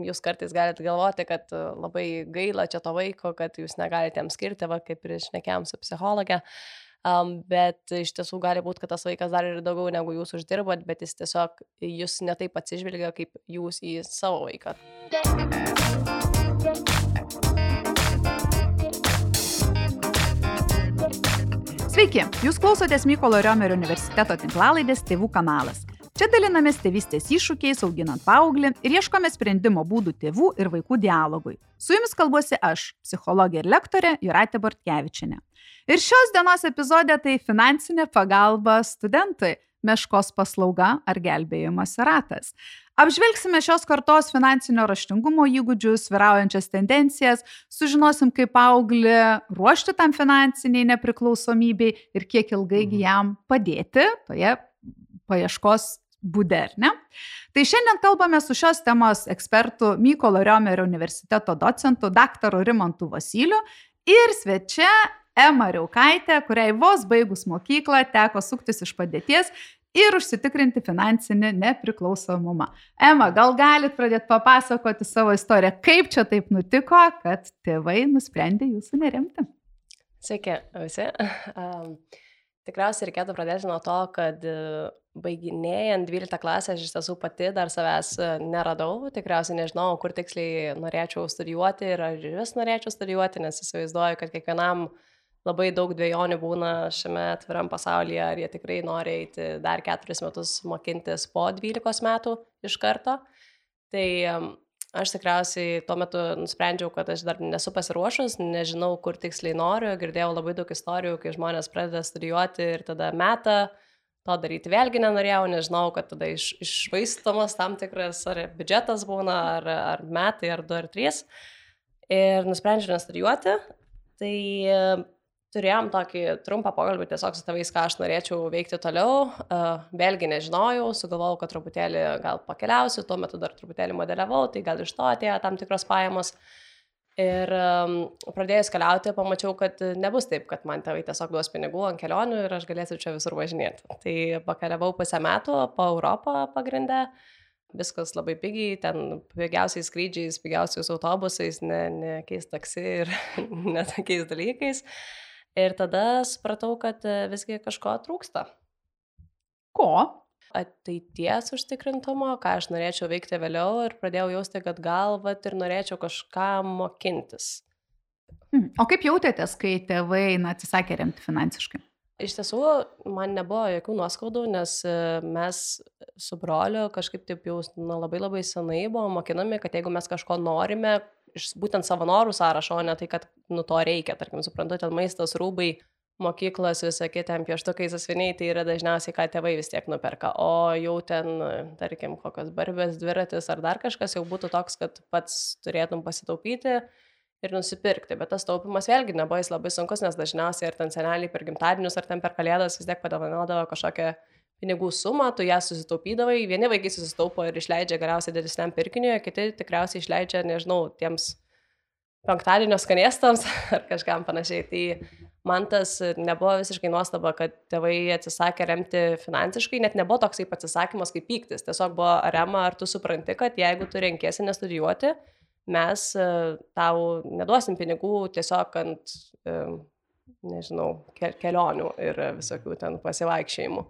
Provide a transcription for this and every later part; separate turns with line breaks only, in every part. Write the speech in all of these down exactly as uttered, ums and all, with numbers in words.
jūs kartais galite galvoti, kad e, labai gaila čia to vaiko, kad jūs negalite jam skirti, va, kaip ir šnekėjom su psichologė. Um, bet iš tiesų gali būti, kad tas vaikas dar ir daugiau negu jūs uždirbat, bet jis tiesiog jūs netaip atsižvelgia, kaip jūs į savo vaiką.
Sveiki, jūs klausotės Mykolo Riomerio universiteto tinklalaidės Tėvų kanalas. Čia dalinamės tėvystės iššūkiais, auginant paauglį ir ieškome sprendimo būdų tėvų ir vaikų dialogui. Su jumis kalbuosi aš, psichologė ir lektorė Jūratė Bortkevičienė. Ir šios dienos epizodė tai finansinė pagalba studentui, meškos paslauga ar gelbėjimosi ratas. Apžvelgsime šios kartos finansinio raštingumo įgūdžius, vyraujančias tendencijas, sužinosim, kaip paauglį ruošti tam finansiniai nepriklausomybei ir kiek ilgai jam padėti toje paieškos būde, ar ne? Tai šiandien kalbame su šios temos ekspertu Mykolo Riomerio universiteto docentu daktaru Rimantu Vosyliu ir svečia Ema Riaukaitė, kuriai vos baigus mokyklą teko suktis iš padėties ir užsitikrinti finansinį nepriklausomumą. Ema, gal galit pradėti papasakoti savo istoriją, kaip čia taip nutiko, kad tėvai nusprendė jūsų neremti?
Sveiki visi. Um, tikriausiai reikėtų pradėti nuo to, kad baiginėjant dvyliktą klasę aš iš tiesų pati dar savęs neradau. Tikriausiai nežinau, kur tiksliai norėčiau studijuoti ir ar vis norėčiau studijuoti, nes įsivaizduoju, kad kiekvienam labai daug dvejonių būna šiame atviram pasaulyje, ar jie tikrai nori eiti dar keturis metus mokintis po dvylikos metų iš karto. Tai aš tikriausiai tuo metu nusprendžiau, kad aš dar nesu pasiruošus, nežinau, kur tiksliai noriu. Girdėjau labai daug istorijų, kai žmonės pradeda studijuoti ir tada metą, to daryti vėlgi nenorėjau, nežinau, kad tada iš, išvaistomas tam tikras ar biudžetas būna, ar, ar metai, ar du, ar trys. Ir nusprendžiau nestudijuoti. Tai turėjom tokį trumpą pokalbį tiesiog su tėvais, ką aš norėčiau veikti toliau. Uh, vėlgi nežinojau, sugalvojau, kad truputėlį gal pakeliausiu, tuo metu dar truputėlį modeliavau, tai gal iš to atėjo tam tikros pajamos. Ir um, pradėjus keliauti, pamačiau, kad nebus taip, kad man tėvai tiesiog duos pinigų ant kelionių ir aš galėsiu čia visur važinėti. Tai pakeliavau pusę metų po Europą pagrindę. Viskas labai pigiai, ten pigiausiais skrydžiais, pigiausiais autobusais, ne, ne keis taksi ir ne tokiais dalykais. Ir tada supratau, kad visgi kažko trūksta.
Ko?
Ateities užtikrintumo, ką aš norėčiau veikti vėliau ir pradėjau jausti, kad gal vat ir norėčiau kažką mokintis.
Hmm. O kaip jautėtės, kai tėvai na, atsisakė remti finansiškai?
Iš tiesų, man nebuvo jokių nuoskaudų, nes mes su broliu kažkaip taip jau na, labai labai senai buvo mokinami, kad jeigu mes kažko norime, iš būtent savo norų sąrašo, o ne tai, kad nu to reikia, tarkim, suprantu, ten maistas, rūbai, mokyklos, visokie ten pieštukai, sąsviniai, tai yra dažniausiai, ką tėvai vis tiek nuperka, o jau ten, tarkim, kokios barbės, dviratis ar dar kažkas jau būtų toks, kad pats turėtum pasitaupyti ir nusipirkti, bet tas taupimas vėlgi nebuvo jis labai sunkus, nes dažniausiai ar ten seneliai per gimtadienius, ar ten per kalėdas vis tiek padovanodavo kažkokią pinigų sumą, tu ją susitaupydavai, vieni vaikai susitaupo ir išleidžia galiausiai didesniam pirkiniui, kiti tikriausiai išleidžia, nežinau, tiems penktadienio skanėstams ar kažkam panašiai. Tai man tas nebuvo visiškai nuostaba, kad tėvai atsisakė remti finansiškai, net nebuvo toksai atsisakymas kaip pyktis, tiesiog buvo arema, ar tu supranti, kad jeigu tu renkiesi nestudijuoti, mes tau neduosim pinigų tiesiog ant, nežinau, kelionių ir visokių ten pasivaikščiojimų.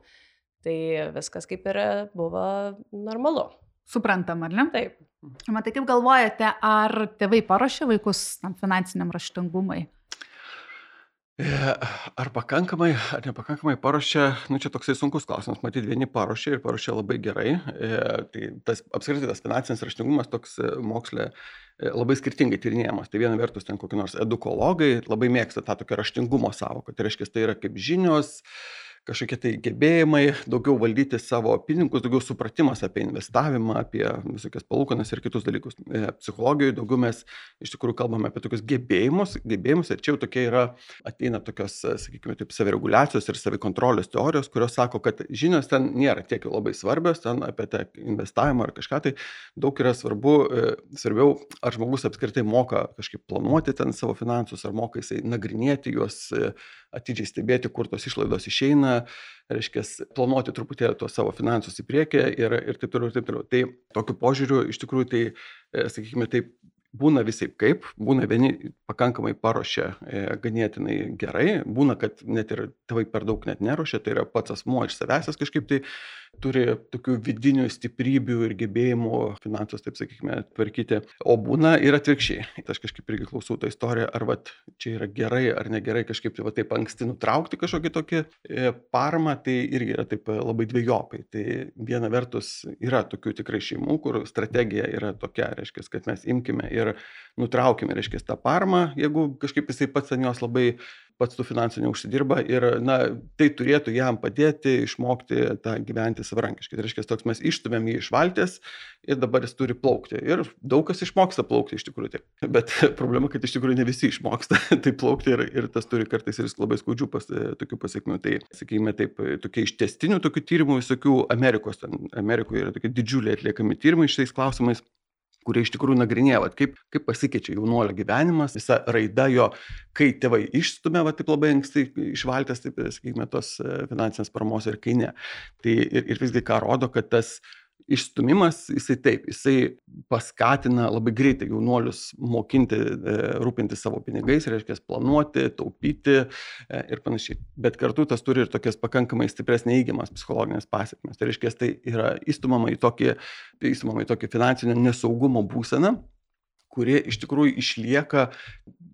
Tai viskas kaip ir buvo normalu.
Suprantam, ar ne?
Taip.
Matai, kaip galvojate, ar tėvai paruošė vaikus tam finansiniam raštingumui?
Ar pakankamai, ar nepakankamai paruošė, nu čia toksai sunkus klausimas, matyt, vieni paruošė ir paruošė labai gerai. Tai tas, apskritai tas finansinis raštingumas toks mokslė labai skirtingai tyrinėjamas. Tai viena vertus ten kokie nors edukologai labai mėgsta tą tokią raštingumo sąvoką. Tai reiškia, tai yra kaip žinios, kažkokie tai gebėjimai, daugiau valdyti savo pinigus, daugiau supratimas apie investavimą, apie visokias palūkanas ir kitus dalykus. Psichologijoje daugiau mes iš tikrųjų kalbame apie tokius gebėjimus, gebėjimus ir čia jau tokie yra, ateina tokios, sakykime, taip, savireguliacijos ir savikontrolės teorijos, kurios sako, kad žinios ten nėra tiek jau labai svarbios, ten apie tą investavimą ar kažką, tai daug yra svarbu, svarbiau, ar žmogus apskritai moka kažkaip planuoti ten savo finansus, ar moka jisai nagrinėti juos, atidžiai stebėti, kur tos išlaidos išeina būna, reiškia, planuoti truputėlį tuos savo finansus į priekį ir, ir taip toliau, ir taip toliau. Tai tokiu požiūriu, iš tikrųjų, tai, sakykime, taip, būna visai kaip, būna vieni pakankamai paruošia e, ganėtinai gerai, būna, kad net ir tėvai per daug net neruošia, tai yra pats asmuo iš savęs kažkaip tai turi tokių vidinių stiprybių ir gebėjimų finansus, taip sakykime, tvarkyti, o būna ir atvirkščiai. Tai aš kažkaip irgi klausau tą istoriją, ar vat, čia yra gerai ar negerai kažkaip tai va, taip anksti nutraukti kažkokį tokį e, paramą, tai irgi yra taip labai dviejopai. Tai viena vertus yra tokių tikrai šeimų, kur strategija yra tokia, reiškia, kad mes imkime ir nutraukime, reiškia, tą paramą, jeigu kažkaip jisai pats ant jos labai pats tų finansų neužsidirba ir, na, tai turėtų jam padėti išmokti tą gyventi savarankiškai. Tai reiškia, toks mes išstumėm jį iš valties ir dabar jis turi plaukti. Ir daug kas išmoksta plaukti iš tikrųjų. Tai. Bet problema, kad iš tikrųjų ne visi išmoksta tai plaukti ir, ir tas turi kartais ir labai skaudžių pas, tokių pasiekmių. Tai, sakykime, taip, tokie iš tęstinių tokių tyrimų visokių Amerikos, ten, Amerikoje yra tokie didžiuliai atliekami tyrimai šitais klausimais, kurie iš tikrųjų nagrinėja, vat, kaip, kaip pasikeičia jaunuolio gyvenimas, visa raida jo, kai tėvai išstumia va, taip labai anksti išvaltęs, taip, sakykime, tos finansinės paramos ir kai ne. Tai ir, ir visgi ką rodo, kad tas išstumimas, jisai taip, jisai paskatina labai greitai jaunuolius mokinti, e, rūpinti savo pinigais, reiškia planuoti, taupyti e, ir panašiai. Bet kartu tas turi ir tokias pakankamai stipres neįgiamas psichologinės pasiekmes. Tai reiškia, tai yra įstumama į tokį, įstumama į tokį finansinio nesaugumo būseną, kurie iš tikrųjų išlieka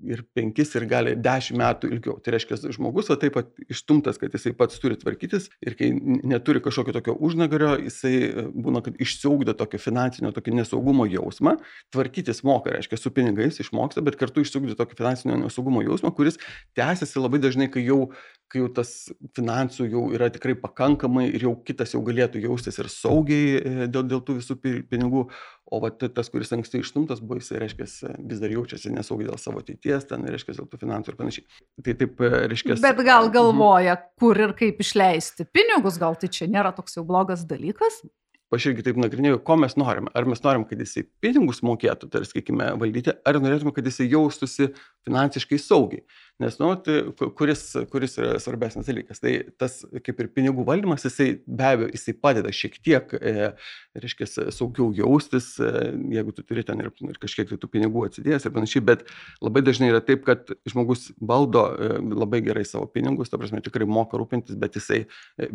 ir penkis ir gali dešimt metų ilgiau. Tai reiškia, žmogus va, taip pat išstumtas, kad jisai pats turi tvarkytis ir kai neturi kažkokio tokio užnagario, jisai būna, kad išsiugdo tokio finansinio, tokio nesaugumo jausmą, tvarkytis moka, reiškia, su pinigais išmoksta, bet kartu išsiugdo tokio finansinio nesaugumo jausmą, kuris tęsiasi labai dažnai, kai jau, kai jau tas finansų jau yra tikrai pakankamai ir jau kitas jau galėtų jaustis ir saugiai dėl, dėl tų visų pinigų. O va, tas, kuris anksti išstumtas buvo, jis, reiškia, vis dar jaučiasi nesaugiai dėl savo ateities, ten, reiškia, dėl tų finansų ir panašiai. Tai taip, reiškia...
Bet gal galvoja, kur ir kaip išleisti pinigus, gal tai čia nėra toks jau blogas dalykas?
Aš irgi taip nagrinėjau, ko mes norime. Ar mes norim, kad jisai pinigus mokėtų, tai sakykime, valdyti, ar norėtume, kad jisai jaustųsi finansiškai saugiai. Nes, nu, tai kuris, kuris yra svarbesnis dalykas. Tai tas, kaip ir pinigų valdymas, jisai be abejo, jisai padeda šiek tiek, e, reiškia, saugiau jaustis, e, jeigu tu turi ten ir, ir kažkiek tų pinigų atsidėjęs ir panašiai, bet labai dažnai yra taip, kad žmogus valdo e, labai gerai savo pinigus, ta prasme, tikrai moka rūpintis, bet jisai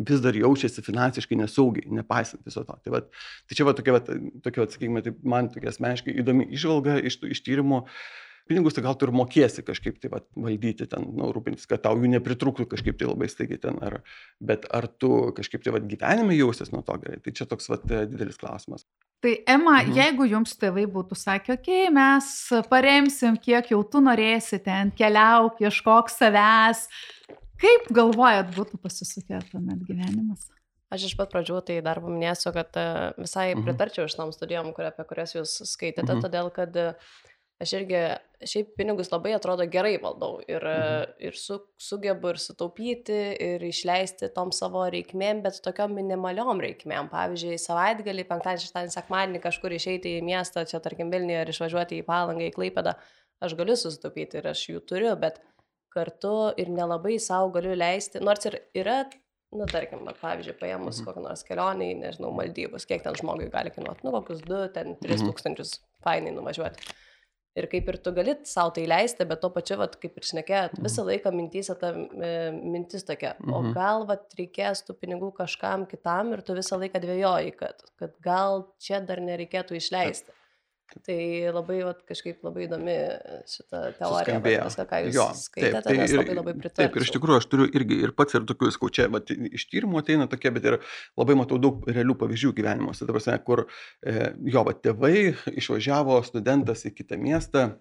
vis dar jaučiasi finansiškai nesaugiai, nepaisant viso to. Tai, vat, tai čia va tokia, va, tokia va, sakykime, tai man tokia asmeniškai įdomi išvalga iš, iš tyrimų. Pinigus tai gal tu ir mokėsi kažkaip tai va, valdyti ten, nu, rūpintis, kad tau jų nepritrūktų kažkaip tai labai staigiai ten, ar, bet ar tu kažkaip tai va, gyvenime jausies nuo to gerai, tai čia toks va, didelis klausimas.
Tai Ema,
Mhm.
jeigu jums tėvai būtų sakę, okei, okay, mes paremsim, kiek jau tu norėsi ten, keliauk, ieškok savęs, kaip galvojat būtų pasisukę tuomet gyvenimas?
Aš iš pat pradžių tai dar paminėsiu, kad e, visai
Mhm.
pritarčiau šitam studijom, kur, apie kurias jūs skaitėte,
Mhm.
todėl kad e, aš irgi šiaip pinigus labai atrodo gerai valdau ir, e,
Mhm.
ir su, sugebu ir sutaupyti ir išleisti tom savo reikmėm, bet tokiom minimaliom reikmėm. Pavyzdžiui, savaitgalį, penktadienį, šeštadienį, sekmadienį kažkur išeiti į miestą, čia tarkim Vilniuje ir išvažiuoti į Palangą, į Klaipėdą, aš galiu susitaupyti ir aš jų turiu, bet kartu ir nelabai savo galiu leisti, nors ir yra, nu, tarkim, va, pavyzdžiui, paėmus
Mhm.
kokią nors kelionį, nežinau, Maldyvus, kiek ten žmogui gali kainuoti, nu, kokius du, ten tris
Mhm.
tūkstančius fainai nuvažiuoti. Ir kaip ir tu gali savo tai leisti, bet tuo pačiu, vat, kaip ir šnekėjot,
Mhm.
visą laiką mintyse ta e, mintis tokia, o
Mhm.
gal vat, reikės tų pinigų kažkam kitam ir tu visą laiką dvejoji, kad, kad gal čia dar nereikėtų išleisti. Tai labai vat, kažkaip labai įdomi šita teorija, vat,
Suskambėjo.
viską, ką jūs
Jo,
skaitėte,
taip, tai
nes
ir-
labai labai
Taip, ir iš
pritarčiau.
tikrųjų aš turiu irgi ir pats ir tokių skaučia, bet iš tyrimų ateina tokie, bet ir labai matau daug realių pavyzdžių gyvenimuose, ta prasme, kur e, jo, va, tėvai išvažiavo studentas į kitą miestą.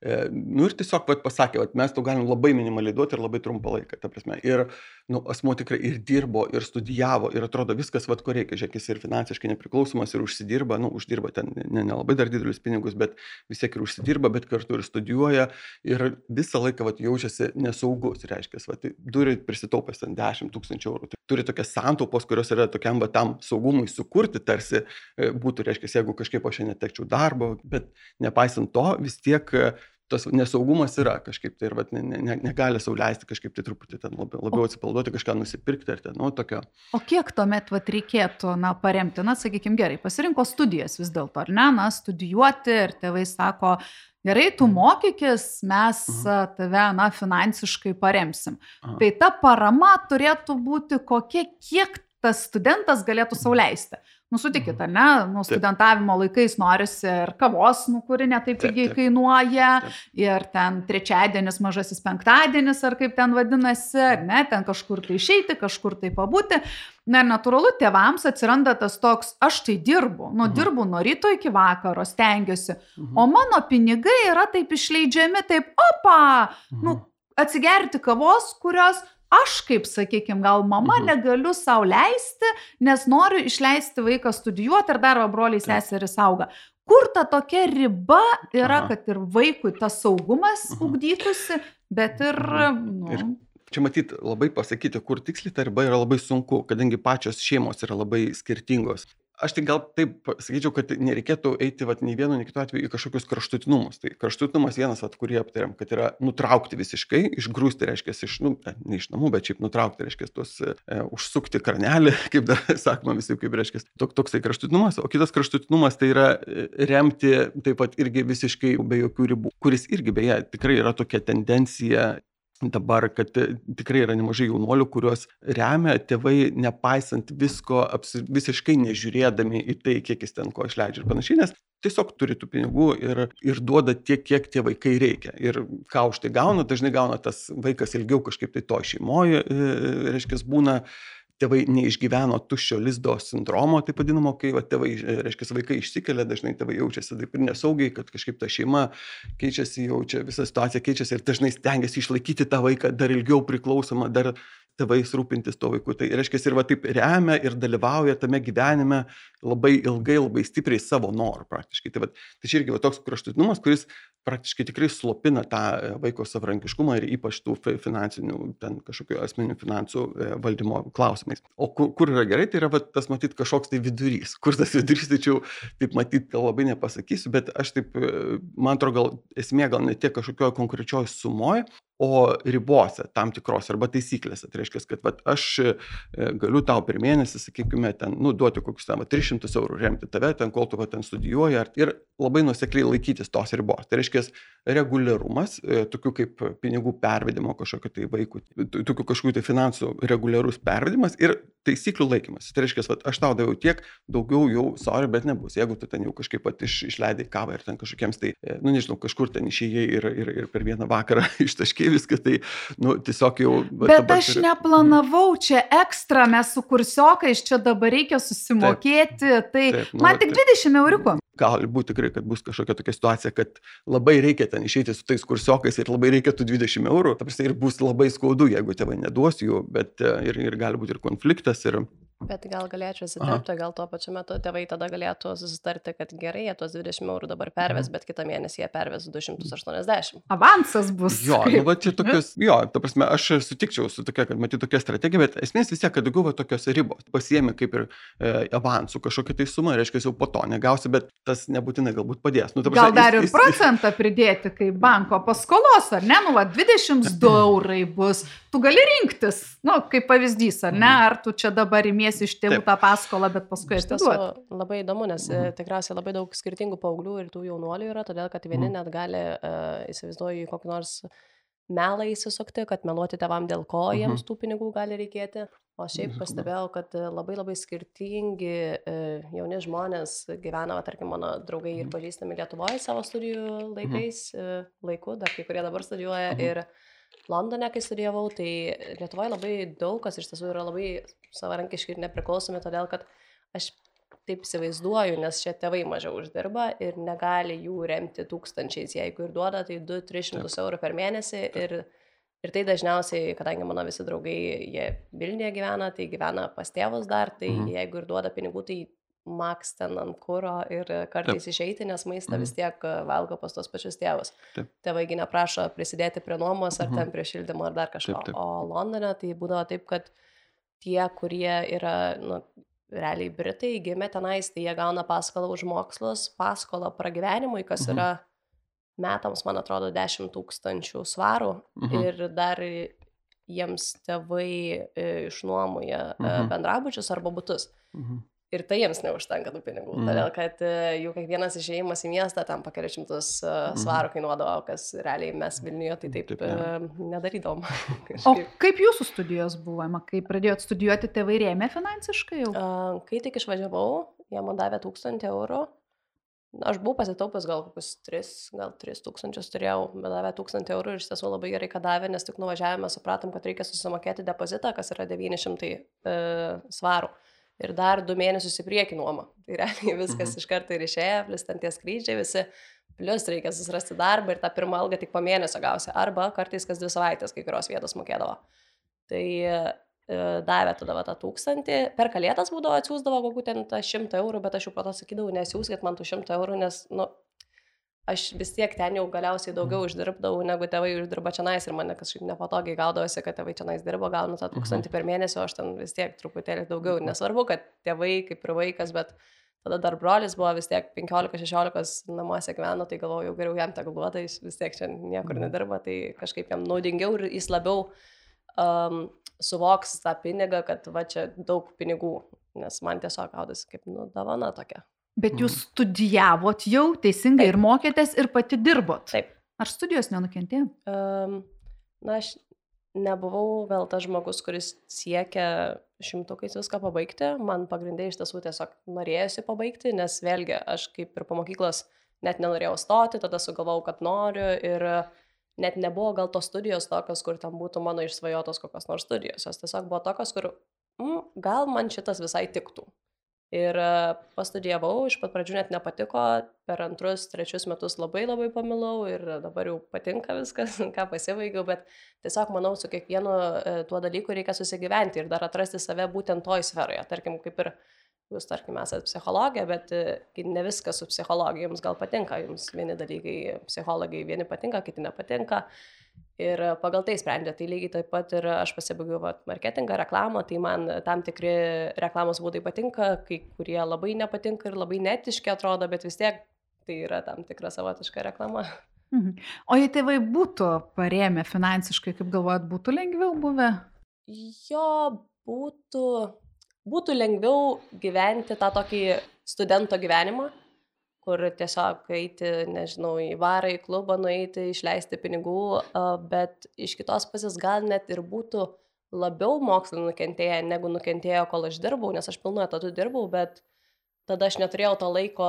E, nu ir tiesiog vat, pasakė, vat, mes tau galim labai minimaliai duoti ir labai trumpą laiką. Ta prasme. Ir nu, asmuo tikrai ir dirbo, ir studijavo, ir atrodo viskas, vat, ko reikia. Žiūrėk, jis ir finansiškai nepriklausomas, ir užsidirba, nu, uždirba ten nelabai ne, ne dar didelius pinigus, bet vis tiek ir užsidirba, bet kartu ir studijuoja. Ir visą laiką vat, jaučiasi nesaugus, reiškia, vat, turi prisitaupęs ten dešimt tūkstančių eurų. Turi tokias santaupos, kurios yra tokiam va, tam saugumui sukurti, tarsi e, būtų, reiškia, jeigu kažkaip aš netekčiau darbo, bet nepaisant to, vis tiek tas nesaugumas yra kažkaip tai ir vat, ne, ne, negali sau leisti kažkaip tai truputį ten labiau, labiau atsipalduoti, kažką nusipirkti ar ten, nu, tokio.
O kiek tuomet vat, reikėtų, na, paremti, na, sakykime, gerai, pasirinko studijas vis dėlto, ar ne, na, studijuoti ir tėvai sako, gerai, tu mokykis, mes
Mhm.
tave, na, finansiškai paremsim.
Aha.
Tai ta parama turėtų būti kokia, kiek tas studentas galėtų sau leisti. Nu, sutikit, ar ne, nu, studentavimo laikais norisi ir kavos, nu, kuri netaip
Taip,
pigiai
taip.
kainuoja,
Taip.
ir ten trečiadienis, mažasis penktadienis, ar kaip ten vadinasi, ar ne, ten kažkur tai išeiti, kažkur tai pabūti. Na, ir natūralu, tėvams atsiranda tas toks, aš tai dirbu, nu,
Mhm.
dirbu nuo ryto iki vakaro, stengiuosi,
Mhm.
o mano pinigai yra taip išleidžiami, taip, opa, nu, atsigerti kavos, kurios aš, kaip sakykime, gal mama
Mhm.
negaliu sau leisti, nes noriu išleisti vaiką studijuoti ir dar va broliai
Taip.
seserys auga. Kur ta tokia riba yra,
Aha.
kad ir vaikui tas saugumas
Mhm.
ugdytųsi, bet ir,
Mhm.
nu,
Ir čia matyti labai pasakyti, kur tiksliai ta riba yra labai sunku, kadangi pačios šeimos yra labai skirtingos. Aš tai gal taip sakyčiau, kad nereikėtų eiti vat, nei vienu, nei kitu atveju į kažkokius kraštutinumus. Tai kraštutinumas vienas, vat, kurį aptarėm, kad yra nutraukti visiškai, išgrūsti, reiškia, iš, nu, ne iš namų, bet šiaip nutraukti, reiškia, tuos e, užsukti kranelį, kaip dar sakoma visi, kaip reiškia, tok, toksai kraštutinumas. O kitas kraštutinumas tai yra e, remti taip pat irgi visiškai be jokių ribų, kuris irgi beje tikrai yra tokia tendencija. Dabar, kad e, tikrai yra nemažai jaunuolių, kuriuos remia tėvai, nepaisant visko, apsi, visiškai nežiūrėdami į tai, kiek jis ten ko išleidžia ir panašiai, nes tiesiog turi tų pinigų ir, ir duoda tiek, kiek tie vaikai reikia. Ir ką už tai gauna, dažnai gauna tas vaikas ilgiau kažkaip tai to šeimoje, e, reiškia, būna. Tėvai neišgyveno tuščio lizdo sindromo, taip vadinamo, kai va, tėvai, reiškia, vaikai išsikelia, dažnai tėvai jaučiasi taip ir nesaugiai, kad kažkaip ta šeima keičiasi, jaučia, visa situacija keičiasi ir dažnai stengiasi išlaikyti tą vaiką dar ilgiau priklausomą, dar tėvais rūpintis to vaiku. Tai reiškia, ir va taip remia ir dalyvauja tame gyvenime labai ilgai, labai stipriai savo norų praktiškai. Tai, va, tai čia irgi va, toks kraštutinumas, kuris praktiškai tikrai slopina tą vaiko savarankiškumą ir ypač tų finansinių, ten kažkokių asmeninių finansų valdymo klausimais. O kur, kur yra gerai, tai yra va, tas matyt kažkoks tai vidurys. Kur tas vidurys, tai čia taip matyt gal labai nepasakysiu, bet aš taip, man atrodo, gal esmė gal ne tiek kažkokioje konkrečioje sumoje, o ribose tam tikros arba taisyklėse. Tai reiškia, kad vat, aš galiu tau per mėnesį, sakykime, ten, nu, duoti kokius ten va, tris šimtus eurų remti tave, ten, kol tu va, ten studijuoji ir labai nuosekliai laikytis tos ribos. Tai reiškia, reguliarumas, tokių kaip pinigų pervedimo kažkokio tai vaikų, tokių kažkokių tai finansų reguliarus pervedimas ir taisyklių laikymas. Tai reiškia, vat, aš tau daviau tiek, daugiau jau, sorry, bet nebus. Jeigu tu ten jau kažkaip pat iš, išleidai kavą ir ten kažkokiems tai, nu, nežinau, kažkur ten išėjai ir, ir, ir per vieną vakarą ištaškiai viską, tai, nu, tiesiog jau...
Bet aš turi... neplanavau čia ekstra, mes su kursiokais čia dabar reikia susimokėti, taip, tai taip, nu, man tik dvidešimt euriukų.
Gali būti tikrai, kad bus kažkokia tokia situacija, kad labai reikia ten išeiti su tais kursiokais ir labai reikia tų dvidešimt eurų, ta prasme, ir bus labai skaudu, jeigu tėvai neduos jų, bet ir, ir gali būti ir konfliktas. Ir...
Bet gal galėčiau įsiterpti, gal tuo pačiu metu tėvai tada galėtų susitarti, kad gerai, jie tuos dvidešimt eurų dabar perves, bet kitą mėnesį jie perves du šimtus aštuoniasdešimt.
Avansas bus.
Jo, nu, va, čia tokios, jo, ta prasme, aš sutikčiau su tokia, kad matyti tokia strategija, bet esmės vis tiek, kad daugiau va, tokios ribos. Pasiemi kaip ir e, avansų kažkokią tai sumą, reiškia, jau po to negausi, bet tas nebūtinai galbūt padės. Nu, ta prasme,
gal dar ir
jis, jis,
procentą pridėti, kaip banko paskolos, ar ne, nu, va, dvidešimt du eurai bus. Tu gali rinktis, nu, kaip pavyzdys, ar ne, ar tu čia dabar imiesi iš tėvų tą paskolą, bet paskui atiduoti.
Labai įdomu, nes mhm. tikriausiai labai daug skirtingų paauglių ir tų jaunuolių yra, todėl kad vieni mhm. net gali, uh, įsivaizduoju, kokį nors melą įsisukti, kad meluoti tėvam, dėl ko mhm. jiems tų pinigų gali reikėti. O šiaip pastebėjau, kad labai labai skirtingi uh, jauni žmonės gyvena, va, tarkim, mano draugai ir pažįstami Lietuvoje savo studijų laikais, uh, laiku, dar kai kurie dabar studijuoja mhm. ir Londone, kai studijavau, tai Lietuvoje labai daug kas iš tiesų yra labai savarankiški ir nepriklausomi, todėl kad aš taip įsivaizduoju, nes čia tėvai mažiau uždirba ir negali jų remti tūkstančiais, jeigu ir duoda, tai du tris šimtus eurų per mėnesį ir, ir tai dažniausiai, kadangi mano visi draugai, jie Vilniuje gyvena, tai gyvena pas tėvus dar, tai mhm. jeigu ir duoda pinigų, tai maks ten ant kuro ir kartais Taip. Išeiti, nes maistą mhm. vis tiek valgo pas tos pačius tėvus. Taip. Tėvaigi neprašo prisidėti prie nuomos ar mhm. ten prie šildymo ar dar kažko. Taip, taip. O Londone tai būdavo taip, kad tie, kurie yra, nu, realiai Britai, gimė tenais, tai jie gauna paskolą už mokslus, paskolą pragyvenimui, kas mhm. yra metams, man atrodo, dešimt tūkstančių svarų
Mhm.
ir dar jiems tėvai e, išnuomoja e,
Mhm.
bendrabučius arba butus.
Mhm.
Ir tai jiems neužtenka tų pinigų,
Mhm.
todėl kad e, jų kiekvienas išėjimas į miestą tam po kelius šimtus e, svarų kainuodavo, kas realiai mes Vilniuje tai taip,
Taip
e,
nėra.
nedarydavom.
O
Kažkaip.
kaip jūsų studijos buvo, Ema? Kai pradėjot studijuoti, tėvai rėmė finansiškai jau?
A, Kai tik išvažiavau, jie man davė tūkstantį eurų. Aš buvau pasitaupęs gal kokius tris, gal tris tūkstančius turėjau, bet davė tūkstantį eurų ir iš tiesų labai gerai, kad davė, nes tik nuvažiavome, supratom, kad reikia susimokėti depozitą, kas yra devyni šimtai e, svarų. Ir dar du mėnesius į priekį nuoma. Tai realiai viskas
Mhm.
iš karto ir išėjo, plus ten tie skrydžiai visi, plus reikia susirasti darbą ir tą pirmą algą tik po mėnesio gausi. Arba kartais kas dvi savaitės kai kurios vietos mokėdavo. Tai e, davė tada va tą tūkstantį. Per kalėdas būdavo atsiųsdavo kokių ten tą šimtą eurų, bet aš jau po to sakydavau, nesiųskit man tų šimtą eurų, nes, nu, aš vis tiek ten jau galiausiai daugiau uždirbdavau, negu tėvai uždirba čionais ir mane kažkaip nepatogiai gaudavosi, kad tėvai čionais dirbo, gaunu tą tūkstantį per mėnesį, o aš ten vis tiek truputėlį daugiau. Nesvarbu, kad tėvai kaip ir vaikas, bet tada dar brolis buvo vis tiek penkiolika šešiolika namuose gyveno, tai galvojau, jau geriau jam tegul duoda, jis vis tiek čia niekur nedirba, tai kažkaip jam naudingiau ir jis labiau um, suvoks tą pinigą, kad va čia daug pinigų, nes man tiesiog gaudasi kaip, nu, dovana tokia.
Bet jūs studijavot jau teisingai
Taip.
ir mokėtės ir pati dirbot.
Taip.
Ar studijos nenukentėjo?
Um, na, aš nebuvau gal tas žmogus, kuris siekia šimtukais viską pabaigti. Man pagrindai iš tiesų tiesiog norėjusi pabaigti, nes vėlgi aš kaip ir po mokyklos net nenorėjau stoti, tada sugalvojau, kad noriu ir net nebuvo gal tos studijos tokios, kur tam būtų mano išsvajotos kokios nors studijos. Jos tiesiog buvo tokios, kur mm, gal man šitas visai tiktų. Ir pastudijavau, iš pat pradžių net nepatiko, per antrus, trečius metus labai labai pamilau ir dabar jau patinka viskas, ką pasibaigiau, bet tiesiog manau, su kiekvienu tuo dalyku reikia susigyventi ir dar atrasti save būtent toj sferoje. Tarkim, kaip ir jūs, tarkim, esate psichologė, bet ne viskas su psichologija jums gal patinka, jums vieni dalykai psichologai vieni patinka, kiti nepatinka. Ir pagal tai sprendžia. Tai lygiai taip pat ir aš pasibaigiau vat, marketingą, reklamą, tai man tam tikri reklamos būdai patinka, kai kurie labai nepatinka ir labai netiški atrodo, bet vis tiek tai yra tam tikra savotiška reklama.
Mhm. O jei tėvai būtų parėmę finansiškai, kaip galvojat, būtų lengviau buvę?
Jo, būtų, būtų lengviau gyventi tą tokį studento gyvenimą, kur tiesiog eiti, nežinau, į barą, į klubą, nueiti, išleisti pinigų, bet iš kitos pusės gal net ir būtų labiau mokslai nukentėję, negu nukentėjo, kol aš dirbau, nes aš pilnu etatu dirbau, bet tada aš neturėjau to laiko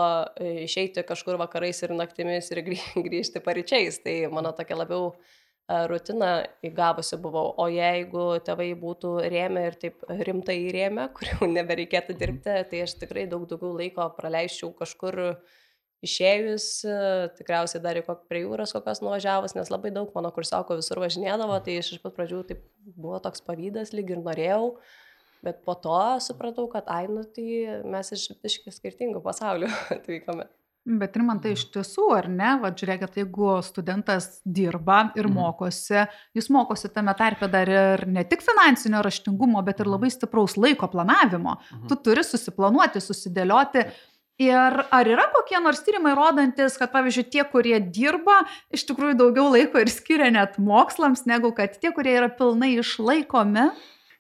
išeiti kažkur vakarais ir naktimis ir grįžti paryčiais, tai mano tokia labiau rutina įgavusi buvau, o jeigu tėvai būtų rėmę ir taip rimtai rėmę, kur jau nebereikėtų dirbti, tai aš tikrai daug daugiau laiko praleisčiau kažkur išėjus, tikriausiai dar prie jūros kokios nuvažiavus, nes labai daug mano kursiokų visur važinėdavo, tai iš pat pradžių taip buvo toks pavydas, lyg ir norėjau, bet po to supratau, kad ai, nu tai mes iš biškį skirtingų pasaulių atvykome.
Bet ir man tai iš tiesų, ar ne, va, žiūrėkit, jeigu studentas dirba ir mokosi, jis mokosi tame tarpe dar ir ne tik finansinio raštingumo, bet ir labai stipraus laiko planavimo. Tu turi susiplanuoti, susidėlioti. Ir ar yra kokie nors tyrimai rodantis, kad, pavyzdžiui, tie, kurie dirba, iš tikrųjų daugiau laiko ir skiria net mokslams, negu kad tie, kurie yra pilnai išlaikomi?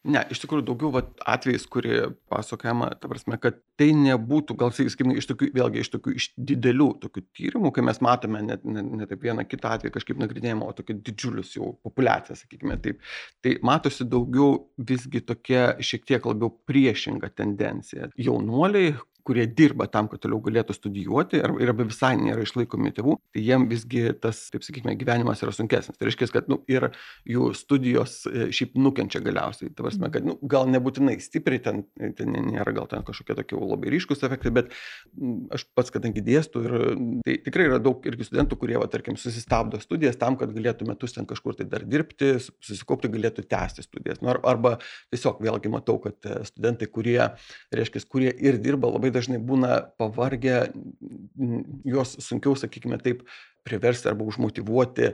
Ne, iš tikrųjų daugiau vat, atvejais, kurie pasakojama, ta prasme, kad tai nebūtų, gal sakykime, iš tokių, vėlgi iš tokių iš didelių tokių tyrimų, kai mes matome net ne, ne taip vieną kitą atvejį kažkaip nagrinėjimą, o tokių didžiulius jau populiaciją, sakykime taip. Tai matosi daugiau visgi tokia šiek tiek labiau priešinga tendencija. Jaunuoliai, kurie dirba tam, kad toliau galėtų studijuoti ir arba visai nėra išlaikomi tėvų, tai jiem visgi tas, taip sakykime, gyvenimas yra sunkesnis. Tai reiškia, kad nu, ir jų studijos šiaip nukenčia galiausiai. Tai prasme, kad nu, gal nebūtinai stipriai, ten, ten nėra gal ten kažkokie tokie labai ryškus efektai, bet aš pats, kadangi dėstu, ir tai tikrai yra daug irgi studentų, kurie, va, tarkim, susistabdo studijas tam, kad galėtų metus ten kažkur tai dar dirbti, susikaupti, galėtų tęsti studijas. Nu, arba tiesiog vėlgi matau, kad studentai, kurie, reiškia, kurie ir dirba, labai dažnai būna pavargę, juos sunkiau, sakykime taip, priversti arba užmotyvuoti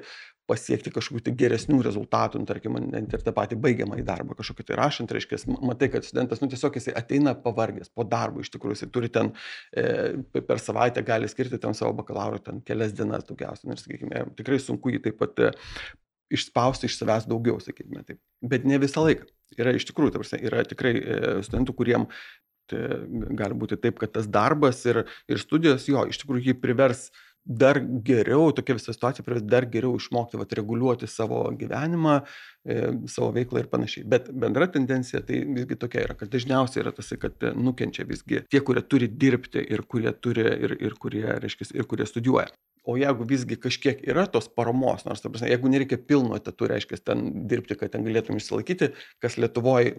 pasiekti kažkokių tai geresnių rezultatų, nu, tarkim, net ir tą patį baigiamą į darbą, kažkokį tai rašant, reiškia, matai, kad studentas, nu, tiesiog jisai ateina pavargęs po darbo, iš tikrųjų, jisai turi ten e, per savaitę gali skirti ten savo bakalauro ten kelias dienas daugiausiai, ir, sakykime, tikrai sunku jį taip pat e, išspausti iš savęs daugiau, sakykime, taip. Bet ne visą laiką. Yra iš tikrųjų, ta prasme, yra tikrai e, studentų, kuriem tai gali būti taip, kad tas darbas ir, ir studijos, jo, iš tikrųjų jį privers dar geriau, tokia visa situacija privers dar geriau išmokti, vat, reguliuoti savo gyvenimą, e, savo veiklą ir panašiai. Bet bendra tendencija tai visgi tokia yra, kad dažniausiai yra tas, kad nukenčia visgi tie, kurie turi dirbti ir kurie turi ir, ir kurie, reiškia, ir kurie studijuoja. O jeigu visgi kažkiek yra tos paramos, nors, ta prasme, jeigu nereikia pilno etatų, reiškia, ten dirbti, kad ten galėtum išsilaikyti, kas Lietuvoje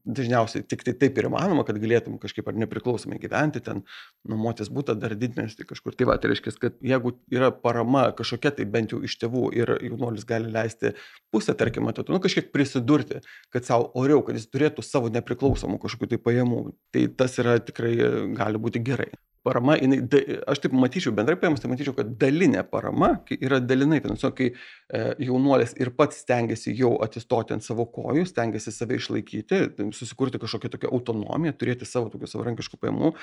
dažniausiai tik tai taip ir įmanoma, kad galėtum kažkaip ar nepriklausomai gyventi, ten nuomotis būtą, dar didmiestį kažkur. Tai va, tai reiškia, kad jeigu yra parama kažkokia, tai bent jau iš tėvų ir jaunuolis gali leisti pusę, tarkim, etatų, nu kažkiek prisidurti, kad savo oriau, kad jis turėtų savo nepriklausomų kažkokių tai pajamų, tai tas yra tikrai gali būti gerai. Parama, jinai, aš taip matyčiau, bendrai paėmus, tai matyčiau, kad dalinė parama yra dalinai finansuojama, kai e, jaunuolis ir pats stengiasi jau atsistoti ant savo kojų, stengiasi save išlaikyti, susikurti kažkokią tokią autonomiją, turėti savo tokių savarankiškų pajamų,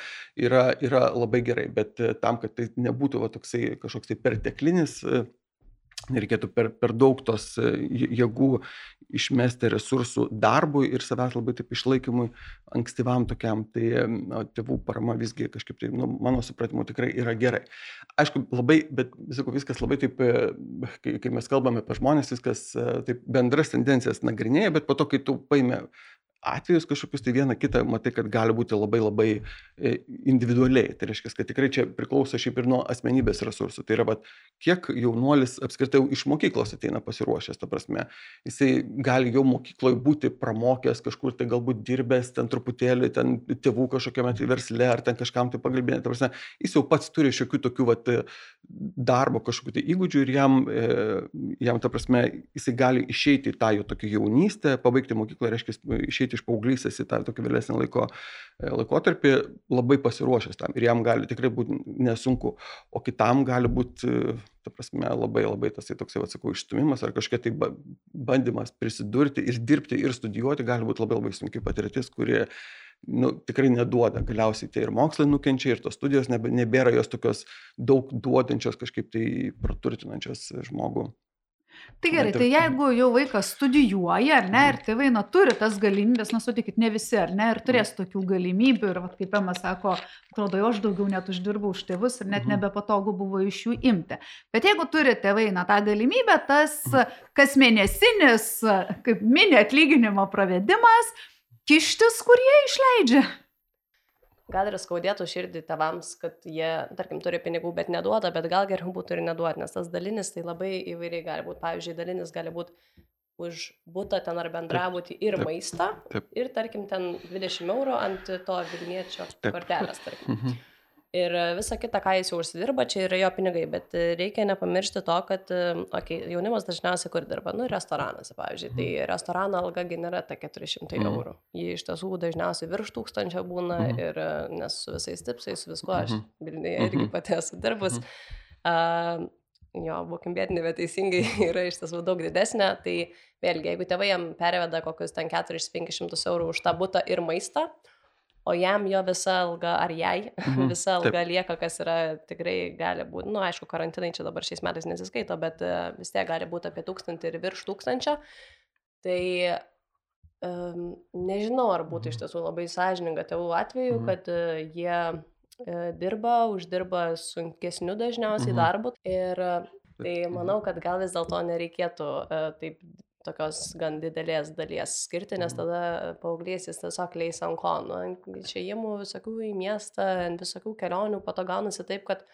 yra, yra labai gerai, bet tam, kad tai nebūtų va, toksai kažkoks tai perteklinis, nereikėtų per, per daug tos jėgų išmesti resursų darbui ir savęs labai taip išlaikymui ankstyvam tokiam, tai no, tėvų parama visgi kažkaip tai, nu, mano supratimu, tikrai yra gerai. Aišku, labai, bet visako, viskas labai taip, kai, kai mes kalbame apie žmonės, viskas taip bendras tendencijas nagrinėja, bet po to, kai tu paimi atvejus kažkokius, tai vieną kitą matai, kad gali būti labai labai individualiai. Tai reiškia, kad tikrai čia priklauso šiaip ir nuo asmenybės resursų. Tai yra, vat, kiek jaunuolis apskritai iš mokyklos ateina pasiruošęs, ta prasme. Jisai gali jau mokykloje būti pramokęs, kažkur tai galbūt dirbęs, ten truputėlį, ten tėvų kažkokiame tai versle, ar ten kažkam tai pagalbinė. Ta prasme, jis jau pats turi šiokių tokių vat, darbo kažkokių tai įgūdžių ir jam, jam, ta prasme, jisai gali išeiti į tą jo tokią jaunystę, pabaigti mokyklą, reiškia, išeiti iš paauglystės į tą tokį vėlesnį laiko, laikotarpį labai pasiruošęs tam ir jam gali tikrai būti nesunku, o kitam gali būti, ta prasme, labai labai tas tai toksai, atsakau, išstumimas ar kažkokia tai bandymas prisidurti ir dirbti ir studijuoti gali būti labai labai sunki patirtis, kurie nu, tikrai neduoda. Galiausiai tai ir mokslai nukenčia ir tos studijos nebėra jos tokios daug duodančios, kažkaip tai praturtinančios žmogų.
Tai gerai, tai jeigu jau vaikas studijuoja, ar ne, ir tėvai, na, turi tas galimybės, na, sutikit, ne visi, ar ne, ir turės tokių galimybių, ir, va, kaip Ema sako, atrodo, aš daugiau net uždirbau už tėvus ir net nebepatogu buvo iš jų imti. Bet jeigu turi tėvai, na, tą galimybę, tas kasmėnesinis, kaip mini atlyginimo pravedimas, kištis, kur jie išleidžia.
Gal ir skaudėtų širdį tėvams, kad jie, tarkim, turi pinigų, bet neduoda, bet gal geriau būtų ir neduoti, nes tas dalinis tai labai įvairiai gali būti. Pavyzdžiui, dalinis gali būti už butą ten ar bendrabutį ir taip, maistą, taip. Ir, tarkim, ten dvidešimt eurų ant to Vilniečio kortelės, tarkim. Mhm. Ir visa kita, ką jis jau užsidirba, čia yra jo pinigai, bet reikia nepamiršti to, kad okay, jaunimas dažniausiai kur dirba, nu, restoranuose, pavyzdžiui, tai restorano alga nėra ta keturi šimtai eurų. Ji iš tiesų dažniausiai virš tūkstančio būna ir nes su visais tipsais, su viskuo aš Vilniuje irgi pati esu dirbus. Uh, jo, būkim bėdini, bet teisingai yra iš tiesų daug didesnė, tai vėlgi, jeigu tėvai jam perveda kokius ten keturis penkis šimtus eurų už tą butą ir maistą, o jam jo visa alga, ar jai, mhm, visa alga taip. Lieka, kas yra tikrai gali būti, nu, aišku, karantinai čia dabar šiais metais nesiskaito, bet uh, vis tiek gali būti apie tūkstantį ir virš tūkstančio. Tai um, nežinau, ar būtų iš tiesų labai sąžininga tėvų atveju, mhm. kad uh, jie uh, dirba, uždirba sunkesniu dažniausiai mhm. darbu. Ir uh, tai manau, kad gal vis dėlto nereikėtų uh, taip tokios gan didelės dalies skirti, nes tada paauglys jis tiesiog leis ant ko. Nu, išėjimų visokių į miestą, visokių kelionių, po to gaunasi taip, kad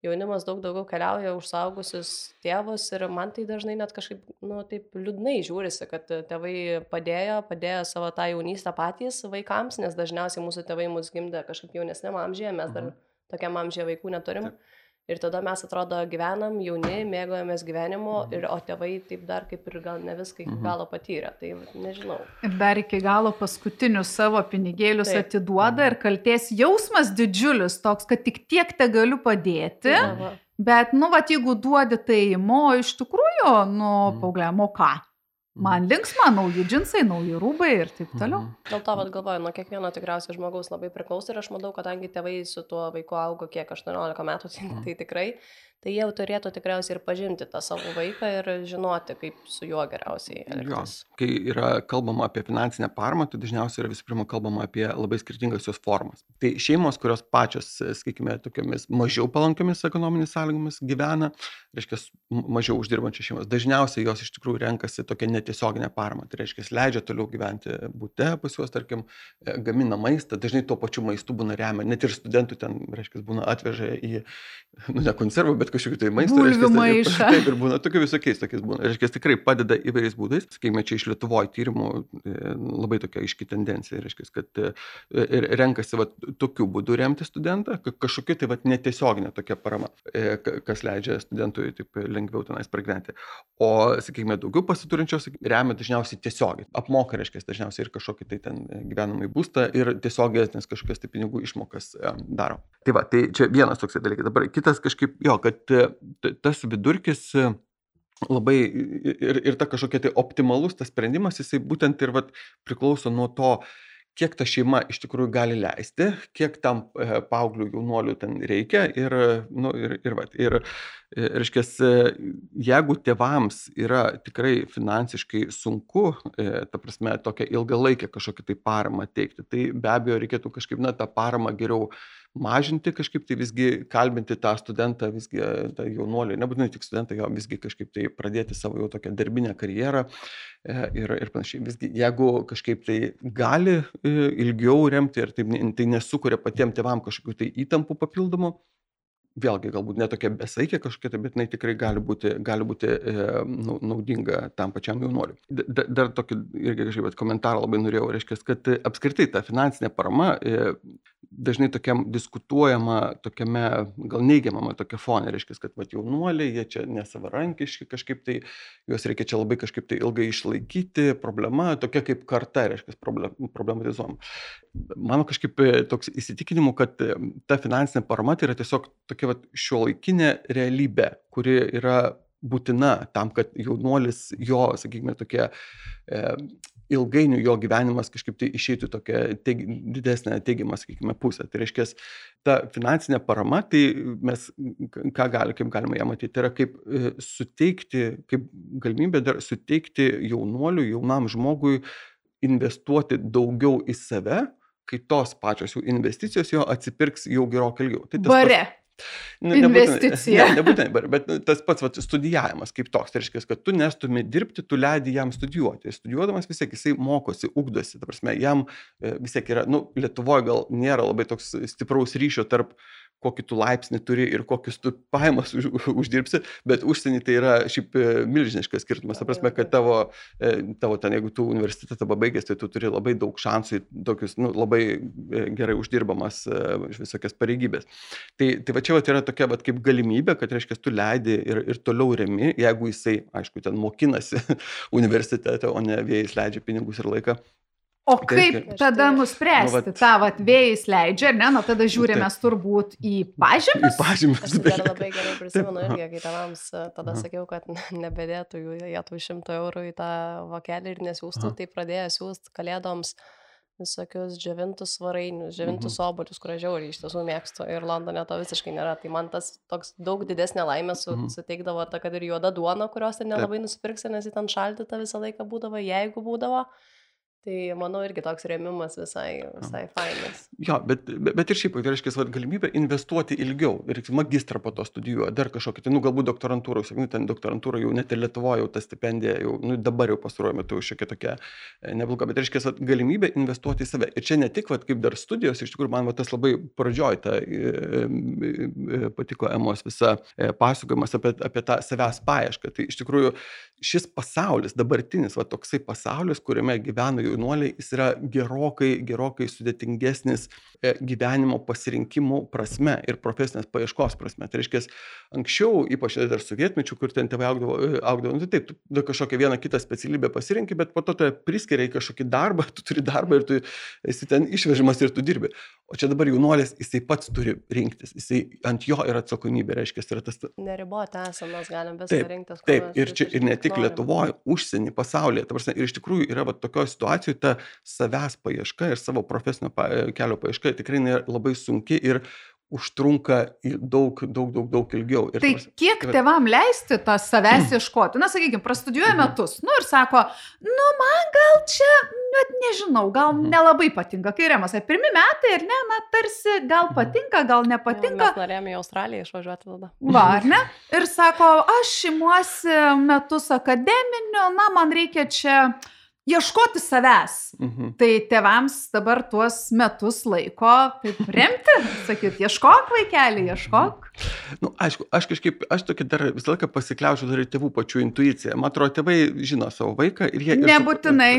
jaunimas daug daugiau keliauja už suaugusius tėvus ir man tai dažnai net kažkaip, nu, taip liūdnai žiūrisi, kad tėvai padėjo, padėjo savo tą jaunystę patys vaikams, nes dažniausiai mūsų tėvai mus gimdė kažkaip jaunesniam amžiuje, mes dar tokiam amžiuje vaikų neturim. Ir tada mes atrodo gyvenam, jauni, mėgojamės gyvenimu, ir, o tėvai taip dar kaip ir gal ne viską iki galo patyrė, tai nežinau.
Ir dar iki galo paskutinius savo pinigėlius taip. Atiduoda ir kaltės jausmas didžiulis toks, kad tik tiek te galiu padėti. Aha. Bet, nu, va, jeigu duodi tai, mo, iš tikrųjų, nu,
Mhm.
paaugliam, o ką? Man linksma, nauji džinsai, nauji rūbai ir taip toliau.
Mhm.
Dėl to, vat, galvoju, nuo kiekvieno tikriausiai žmogaus labai priklauso ir aš manau, kadangi tėvai su tuo vaiku augo kiek aštuoniolika metų, tai, tai tikrai, tai jie jau turėtų tikriausiai ir pažinti tą savo vaiką ir žinoti, kaip su juo geriausiai
Jo,
elgtis.
kai yra kalbama apie finansinę paramą, tai dažniausiai yra visų pirma kalbama apie labai skirtingas jos formas. Tai šeimos, kurios pačios, sakykime, tokiamis mažiau palankiomis ekonominės sąlygomis gyvena, reiškia, m- mažiau uždirbančios šeimos, dažniausiai jos iš tikrųjų renkasi tokią netiesioginę paramą. Tai reiškia, leidžia toliau gyventi bute pas juos, tarkim, e, gamina maistą, dažnai tuo pačiu maistu būna remia, net ir studentų ten, reiškia, būna atveža į, nu, ne konservų, bet kažkokiu tai maistu.
Bulvių
reiškias,
maišą.
Taip ir būna, tokiu visokiais tokiais būna. Reiškia, tikrai padeda įvairiais būdais. Sakykime, čia iš Lietuvoje tyrimų e, labai tokia aiški tendencija, reiškia, kad e, ir renkasi va, tokiu būdu remti studentą, ka- kažkokia tai va, netiesioginė tokia parama, e, ka- kas leidžia studentui taip lengviau tenais pragyventi. O, sakykime, daugiau pasiturinčios remia dažniausiai tiesiogiai. Apmoka, reiškia, dažniausiai ir kažkokį tai ten gyvenamąjį būstą ir tiesioginės kažkokias tai pinigų išmokas e, daro. Tai va, tai čia vienas toks dalykas. Dabar kitas kažkaip, jo, kad e, t- tas vidurkis e, labai ir, ir ta kažkokia tai optimalus tas sprendimas, jisai būtent ir vat, priklauso nuo to, kiek ta šeima iš tikrųjų gali leisti, kiek tam e, paauglių jaunuolių ten reikia ir, nu, ir, ir, vat, ir, e, reiškia, jeigu tėvams yra tikrai finansiškai sunku, e, ta prasme, tokią ilgalaikę kažkokią tai paramą teikti, tai be abejo reikėtų kažkaip, na, tą paramą geriau mažinti, kažkaip tai visgi kalbinti tą studentą, visgi tą jaunuolį, nebūtinai tik studentą, jo visgi kažkaip tai pradėti savo jau tokią darbinę karjerą e, ir, ir panašiai. Visgi, jeigu kažkaip tai gali e, ilgiau remti ir tai, tai nesukuria patiems tėvam kažkokių tai įtampų papildomų, vėlgi galbūt netokia besaikė kažkokia, tai, bet jinai tikrai gali būti, gali būti e, nau- naudinga tam pačiam jaunuoliui. Da- da- Dar tokį irgi kažkaip vat komentarą labai norėjau, reiškia, kad e, apskritai ta finansinė parama e, dažnai tokiam diskutuojama, tokiame gal neigiamame tokia fone, reiškia, kad vat, jaunuoliai, jie čia nesavarankiški kažkaip tai, juos reikia čia labai kažkaip tai ilgai išlaikyti, problema tokia kaip karta, reiškia, problem, problematizuojama. Mano kažkaip e, toks įsitikinimu, kad e, ta finansinė parama tai yra tiesiog tokia vat, šiuolaikinė realybė, kuri yra būtina tam, kad jaunuolis jo, sakykime, tokia e, ilgainiui jo gyvenimas kažkaip tai išeitų tokia teig, didesnė teigiama, sakykime, pusė. Tai reiškia, ta finansinė parama, tai mes k- ką gali, kaip galima ją matyti, tai yra kaip e, suteikti, kaip galimybė dar suteikti jaunuoliui, jaunam žmogui investuoti daugiau į save, kai tos pačios jų investicijos jo atsipirks jau gerokai ilgiau. Tai tas pats-
Bare.
Nu, nebūtinai-
Investicija.
Ne, nebūtinai, bet- bet nu, tas pats vat, studijavimas kaip toks, tai reiškia, kad tu nestumi dirbti, tu leidi jam studijuoti. Studijuodamas vis tiek jisai mokosi, ugdosi, ta prasme, jam e, vis tiek yra, nu, Lietuvoje gal nėra labai toks stipraus ryšio tarp kokį tu laipsnį turi ir kokius tu pajamas už, uždirbsi, bet užsienį tai yra šiaip e, milžiniškas skirtumas. Ta prasme, kad tavo, e, tavo ten, jeigu tu universitetą pabaigęs, tai tu turi labai daug šansų į tokius, nu, labai e, gerai uždirbamas e, visokias pareigybės. Tai, tai va čia va yra tokia va kaip galimybė, kad reiškia, tu leidi ir, ir toliau remi, jeigu jisai, aišku, ten mokinasi universitete, o ne vėjais leidžia pinigus ir laiką.
O
Tai
kaip
reiškia-
tada
Nu,
nuspręsti,
vat-
tą vat vėjais leidžia, ar ne, na tada žiūrime mes turbūt į
Į
pažymius.
pažymius.
Aš dar labai gerai prisimenu
Taip,
irgi, kai tėvams e, tada
Aha.
sakiau, kad nebedėtų jų jie tų šimto eurų į tą vokelį ir nesiūstų,
Aha.
tai pradėjo siūsti kalėdoms visokius džiovintus svarainius, džiovintus obuolius, kur aš žiauriai iš tiesų mėgstu ir Londone to visiškai nėra. Tai man tas toks daug didesnė laimė su,
Mhm.
suteikdavo ta, kad ir juoda duona, kurios ten
Taip.
nelabai nusipirksi, nes ji ten šaldyta visą laiką būdavo, jeigu būdavo. Tai manau irgi toks rėmimas visai, visai fainas.
Jo, bet, bet, bet ir šiaip, tai reiškia, vat, galimybė investuoti ilgiau ir magistrą po to studijuoja, dar kažkokį, tai, nu, galbūt doktorantūrą, sakykime, ten doktorantūra jau net ir Lietuvoje, jau ta stipendija, jau, nu, dabar jau pastaruoju metu šiokia tokia e, nebloga, bet reiškia, vat, galimybė investuoti į save. Ir čia ne tik, vat, kaip dar studijos, iš tikrųjų, man vat, tas labai pradžioj ta e, e, e, patiko Emos visa e, pasakojimas apie, apie tą savęs paiešką. Tai iš tikrųjų šis pasaulis, dabartinis, va, toksai pasaulis, kuriame gyvena jau jaunuoliai, jis yra gerokai, gerokai sudėtingesnis gyvenimo pasirinkimų prasme ir profesinės paieškos prasme. Tai reiškia, anksčiau, ypač dar sovietmečių, kur ten tėvai augdavo, augdavo, nu taip, tu kažkokią vieną kitą specialybę pasirinki, bet po to tai priskiria į kažkokį darbą, tu turi darbą ir tu esi ten išvežimas ir tu dirbi. O čia dabar jaunuolis, jisai pats turi rinktis, jisai ant jo yra atsakomybė, reiškia, yra tas...
Neribota esam, mes galim viską rinktis.
Taip, ir, čia, ir ne tik Lietuvoje, užsienį, pasaulyje. Prasme, ir iš tikrųjų yra va, tokioje situacijoje ta savęs paieška ir savo profesinio pa, kelio paieška tikrai labai sunki ir užtrunka daug, daug, daug, daug ilgiau. Ir
tai
tavas,
kiek
tai,
tėvam leisti tą savęs ieškoti? Na, sakykime, prastudijuoja metus, nu ir sako, nu man gal čia, net nežinau, gal nelabai patinka, kai Remas, pirmi metai ir ne, na tarsi gal patinka, gal nepatinka.
Mes norėjome į Australiją išvažiuoti tada.
Va, ar ne? Ir sako, aš imuosi metus akademinių, na man reikia čia ieškoti savęs. Mhm. Tai tėvams dabar tuos metus laiko taip remti, sakyt, ieškok vaikelį, ieškok.
Nu, aišku, aš kažkaip, aš tokį dar visą laiką pasikliaučiau dar ir tėvų pačių intuiciją. Man atrodo, tėvai žino savo vaiką ir jie...
Nebūtinai.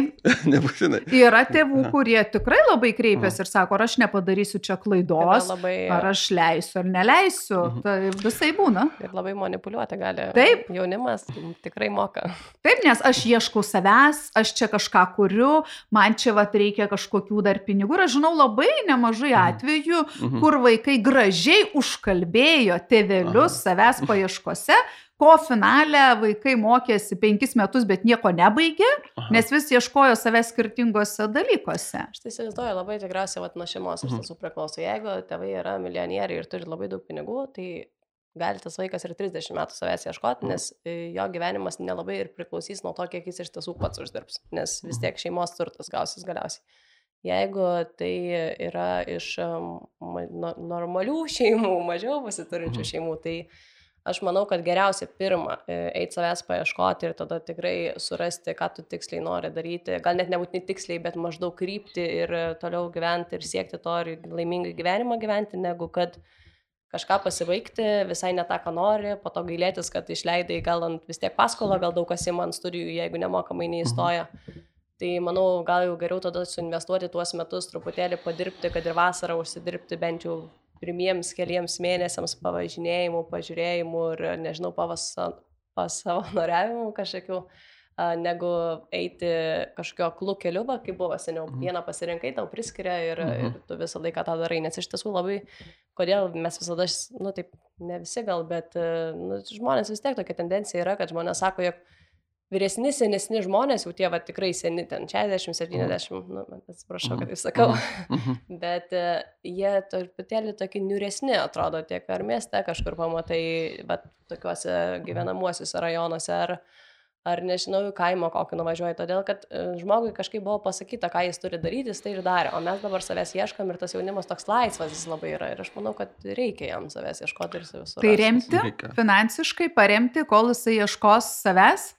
Nebūtinai.
Yra tėvų, kurie tikrai labai kreipiasi ir sako, ar aš nepadarysiu čia klaidos, labai... ar aš leisiu ar neleisiu. Mhm. Tai visai būna.
Ir labai manipuliuoti gali.
Taip.
Jaunimas tikrai moka.
Taip, nes aš ieškau savęs, aš čia kažką kuriu, man čia vat reikia kažkokių dar pinigų. Ir aš žinau labai nemažai atvejų, mhm. kur vaikai gražiai užkalbėjo tėvelius Aha. savęs paieškose, ko finale vaikai mokėsi penkis metus, bet nieko nebaigė, Aha. nes vis ieškojo savęs skirtingose dalykuose.
Aš tai įsivaizduoju, labai tikriausiai vat, nuo šeimos iš tiesų priklauso. Jeigu tėvai yra milijonieriai ir turi labai daug pinigų, tai gali tas vaikas ir trisdešimt metų savęs ieškoti, nes jo gyvenimas nelabai ir priklausys nuo to, kiek jis iš tiesų pats uždirbs, nes vis tiek šeimos turtas gausis galiausiai. Jeigu tai yra iš normalių šeimų, mažiau pasiturinčių šeimų, tai aš manau, kad geriausia pirma eiti savęs paieškoti ir tada tikrai surasti, ką tu tiksliai nori daryti. Gal net nebūtinai tiksliai, bet maždaug krypti ir toliau gyventi ir siekti to ir laimingai gyvenimą gyventi, negu kad kažką pasibaigti, visai ne tą, ką nori, po to gailėtis, kad išleidai gal ant vis tiek paskolą, gal daug kas ima ant studijų, jeigu nemokamai neįstoja. Tai manau, gal jau geriau tada suinvestuoti tuos metus, truputėlį padirbti, kad ir vasarą užsidirbti bent jau pirmiems keliems mėnesiams pavažinėjimų, pažiūrėjimų ir, nežinau, pasavanoriavimų kažkokių, negu eiti kažkokio aklų keliu, kaip buvo seniau. Vieną pasirinkai, tau priskiria ir, ir tu visą laiką tą darai. Nes iš tiesų labai, kodėl mes visada, nu taip, ne visi gal, bet nu, žmonės vis tiek tokia tendencija yra, kad žmonės sako, jog vyresni, senesni žmonės, jau tie va tikrai seni, ten šešiasdešimt, septyniasdešimt, nu, atsiprašau, kad taip sakau, bet uh, jie truputėlį tokie niūresni atrodo, tiek ar mieste kažkur pamatai, va tokiuose gyvenamuosiuose rajonuose, ar, ar nežinau, kaimo kokį nuvažiuoji, todėl kad uh, žmogui kažkaip buvo pasakyta, ką jis turi daryti, jis tai ir darė, o mes dabar savęs ieškam ir tas jaunimas toks laisvas jis labai yra ir aš manau, kad reikia jam savęs ieškoti ir savęs surasti.
Tai remti, reikia. Finansiškai paremti, kol jisai ieškos savęs?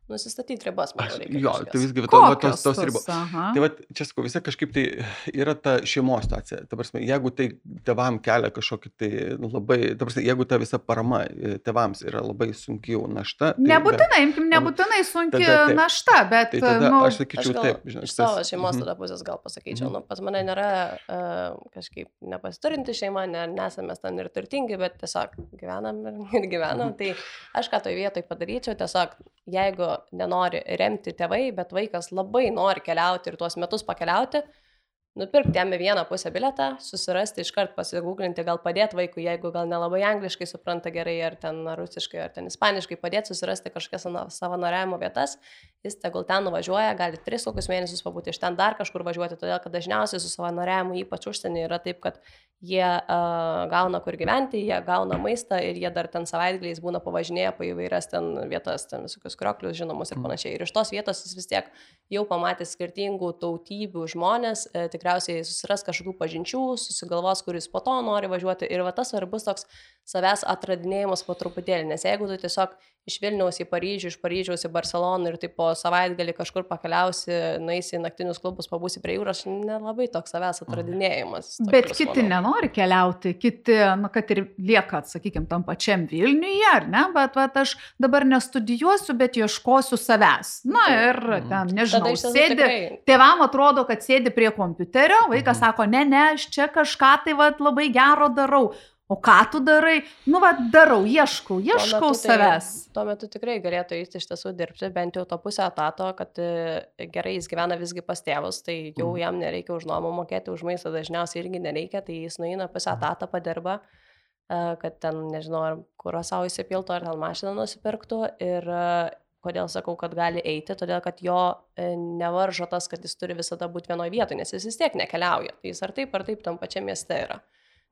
Nusistatyti ribas, manau, reikia.
Jo, tai visgi to, tos, tos ribos. Tai va, čia sakau, visai kažkaip tai yra ta šeimos situacija. Ta prasme, jeigu tai tėvam kelia kažkokį tai labai, ta prasme, jeigu ta visa parama tėvams yra labai sunki jau našta. Tai
nebūtinai, imkim, nebūtinai sunki tada, našta, bet...
Tai tada
nu,
aš sakyčiau
aš gal,
taip. Žinai,
iš savo šeimos tada pusės gal pasakyčiau, nu, pas mane nėra uh, kažkaip nepasiturinti šeima, ne, nesame ten ir turtingi, bet tiesiog gyvenam ir, ir gyvenam. Tai aš ką toj vietoj padaryčiau, tiesiog jeigu nenori remti tėvai, bet vaikas labai nori keliauti ir tuos metus pakeliauti, nupirkti jam vieną pusę biletą, susirasti, iškart pasigūglinti, gal padėti vaikui, jeigu gal nelabai angliškai supranta gerai, ar ten rusiškai, ar ten ispaniškai, padėti susirasti kažkokias savanoriavimo vietas, jis tegul ten nuvažiuoja, gali tris kokius mėnesius pabūti, iš ten dar kažkur važiuoti, todėl kad dažniausiai su savanoriavimu, ypač užsienį, yra taip, kad jie uh, gauna kur gyventi, jie gauna maistą ir jie dar ten savaitgaliais būna pavažinėję po įvairias ten vietas, ten visokius krioklius žinomus ir panašiai. Ir iš tos vietos jis vis tiek jau pamatė skirtingų tautybių žmonės, e, tikrai tikriausiai susiras kažkokių pažinčių, susigalvos, kuris po to nori važiuoti ir va tas svarbus toks savęs atradinėjimas po truputėlį, nes jeigu tu tiesiog iš Vilniaus į Paryžių, iš Paryžiaus į Barceloną ir taip po savaitgalį kažkur pakeliausi, nueisi į naktinius klubus, pabūsi prie jūros, nelabai toks savęs atradinėjimas.
Bet kiti manau. Nenori keliauti, kiti, nu, kad ir lieka, sakykime, tam pačiam Vilniuje, ar ne, bet va, aš dabar nestudijuosiu, bet ieškosiu savęs. Na ir ten, nežinau, sėdi, tikrai... tėvam atrodo, kad sėdi prie kompiuterio, vaikas sako, ne, ne, aš čia kažką tai va, labai gero darau. O ką tu darai? Nu, va, darau, ieškau, ieškau
tuo
savęs.
Tai, tuo metu tikrai galėtų eiti iš tiesų dirbti, bent jau to pusę etato, kad gerai jis gyvena visgi pas tėvus, tai jau jam nereikia už nuomą mokėti, už maistą dažniausiai irgi nereikia, tai jis nueina pusę etatą padirba, kad ten, nežinau, ar kurą savo įsipiltų, ar ten mašiną nusipirktų ir kodėl sakau, kad gali eiti, todėl kad jo nevaržo tas, kad jis turi visada būti vienoje vietoje, nes jis vis tiek nekeliauja, tai jis ar taip, ar taip tam pačiam mieste yra.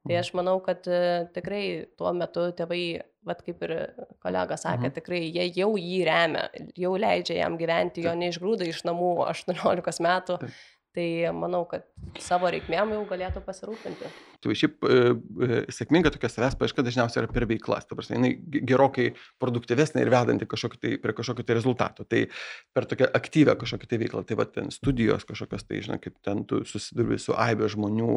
Tai aš manau, kad uh, tikrai tuo metu tėvai, vat kaip ir kolega sakė, mhm. tikrai jie jau jį remia, jau leidžia jam gyventi, jo neišgrūda iš namų aštuoniolikos metų. Taip. Tai manau, kad savo reikmėm jau galėtų pasirūpinti.
Tai šiaip e, e, sėkminga tokia savęs paieška dažniausiai yra per veiklas. Ta prasme, jinai gerokai produktyvesnė ir vedanti kažkokį tai, prie kažkokio tai rezultato. Tai per tokią aktyvę kažkokią tai veiklą. Tai va ten studijos kažkokios, tai žinai, kaip ten tu susidurbi su aibė žmonių,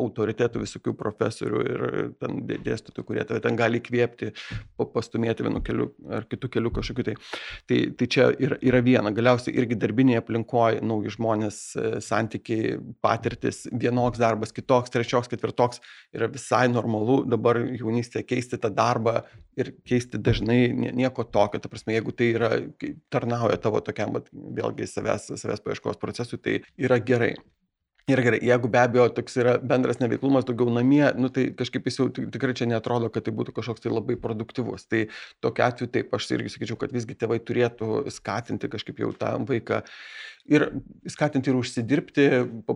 autoritetų, visokių profesorių ir ten dėstytojų, kurie tave ten gali įkvėpti, pastumėti vienu keliu ar kitu keliu kažkokiu tai. Tai, tai čia yra, yra viena. Galiausiai irgi darbinėje aplinkoje nauji žmonės, santykiai, patirtis, vienoks darbas, kitoks, trečioks, ketvirtoks yra visai normalu dabar jaunystėje keisti tą darbą ir keisti dažnai nieko tokio. Ta prasme, jeigu tai yra, tarnauja tavo tokiam, vėlgi savęs, savęs paieškos procesui, tai yra gerai. Ir gerai, jeigu be abejo toks yra bendras neveiklumas daugiau namie, nu tai kažkaip jis jau tikrai čia neatrodo, kad tai būtų kažkoks tai labai produktyvus. Tai tokiu atveju taip, aš irgi sakyčiau, kad visgi tėvai turėtų skatinti kažkaip jau tą vaiką ir skatinti ir užsidirbti,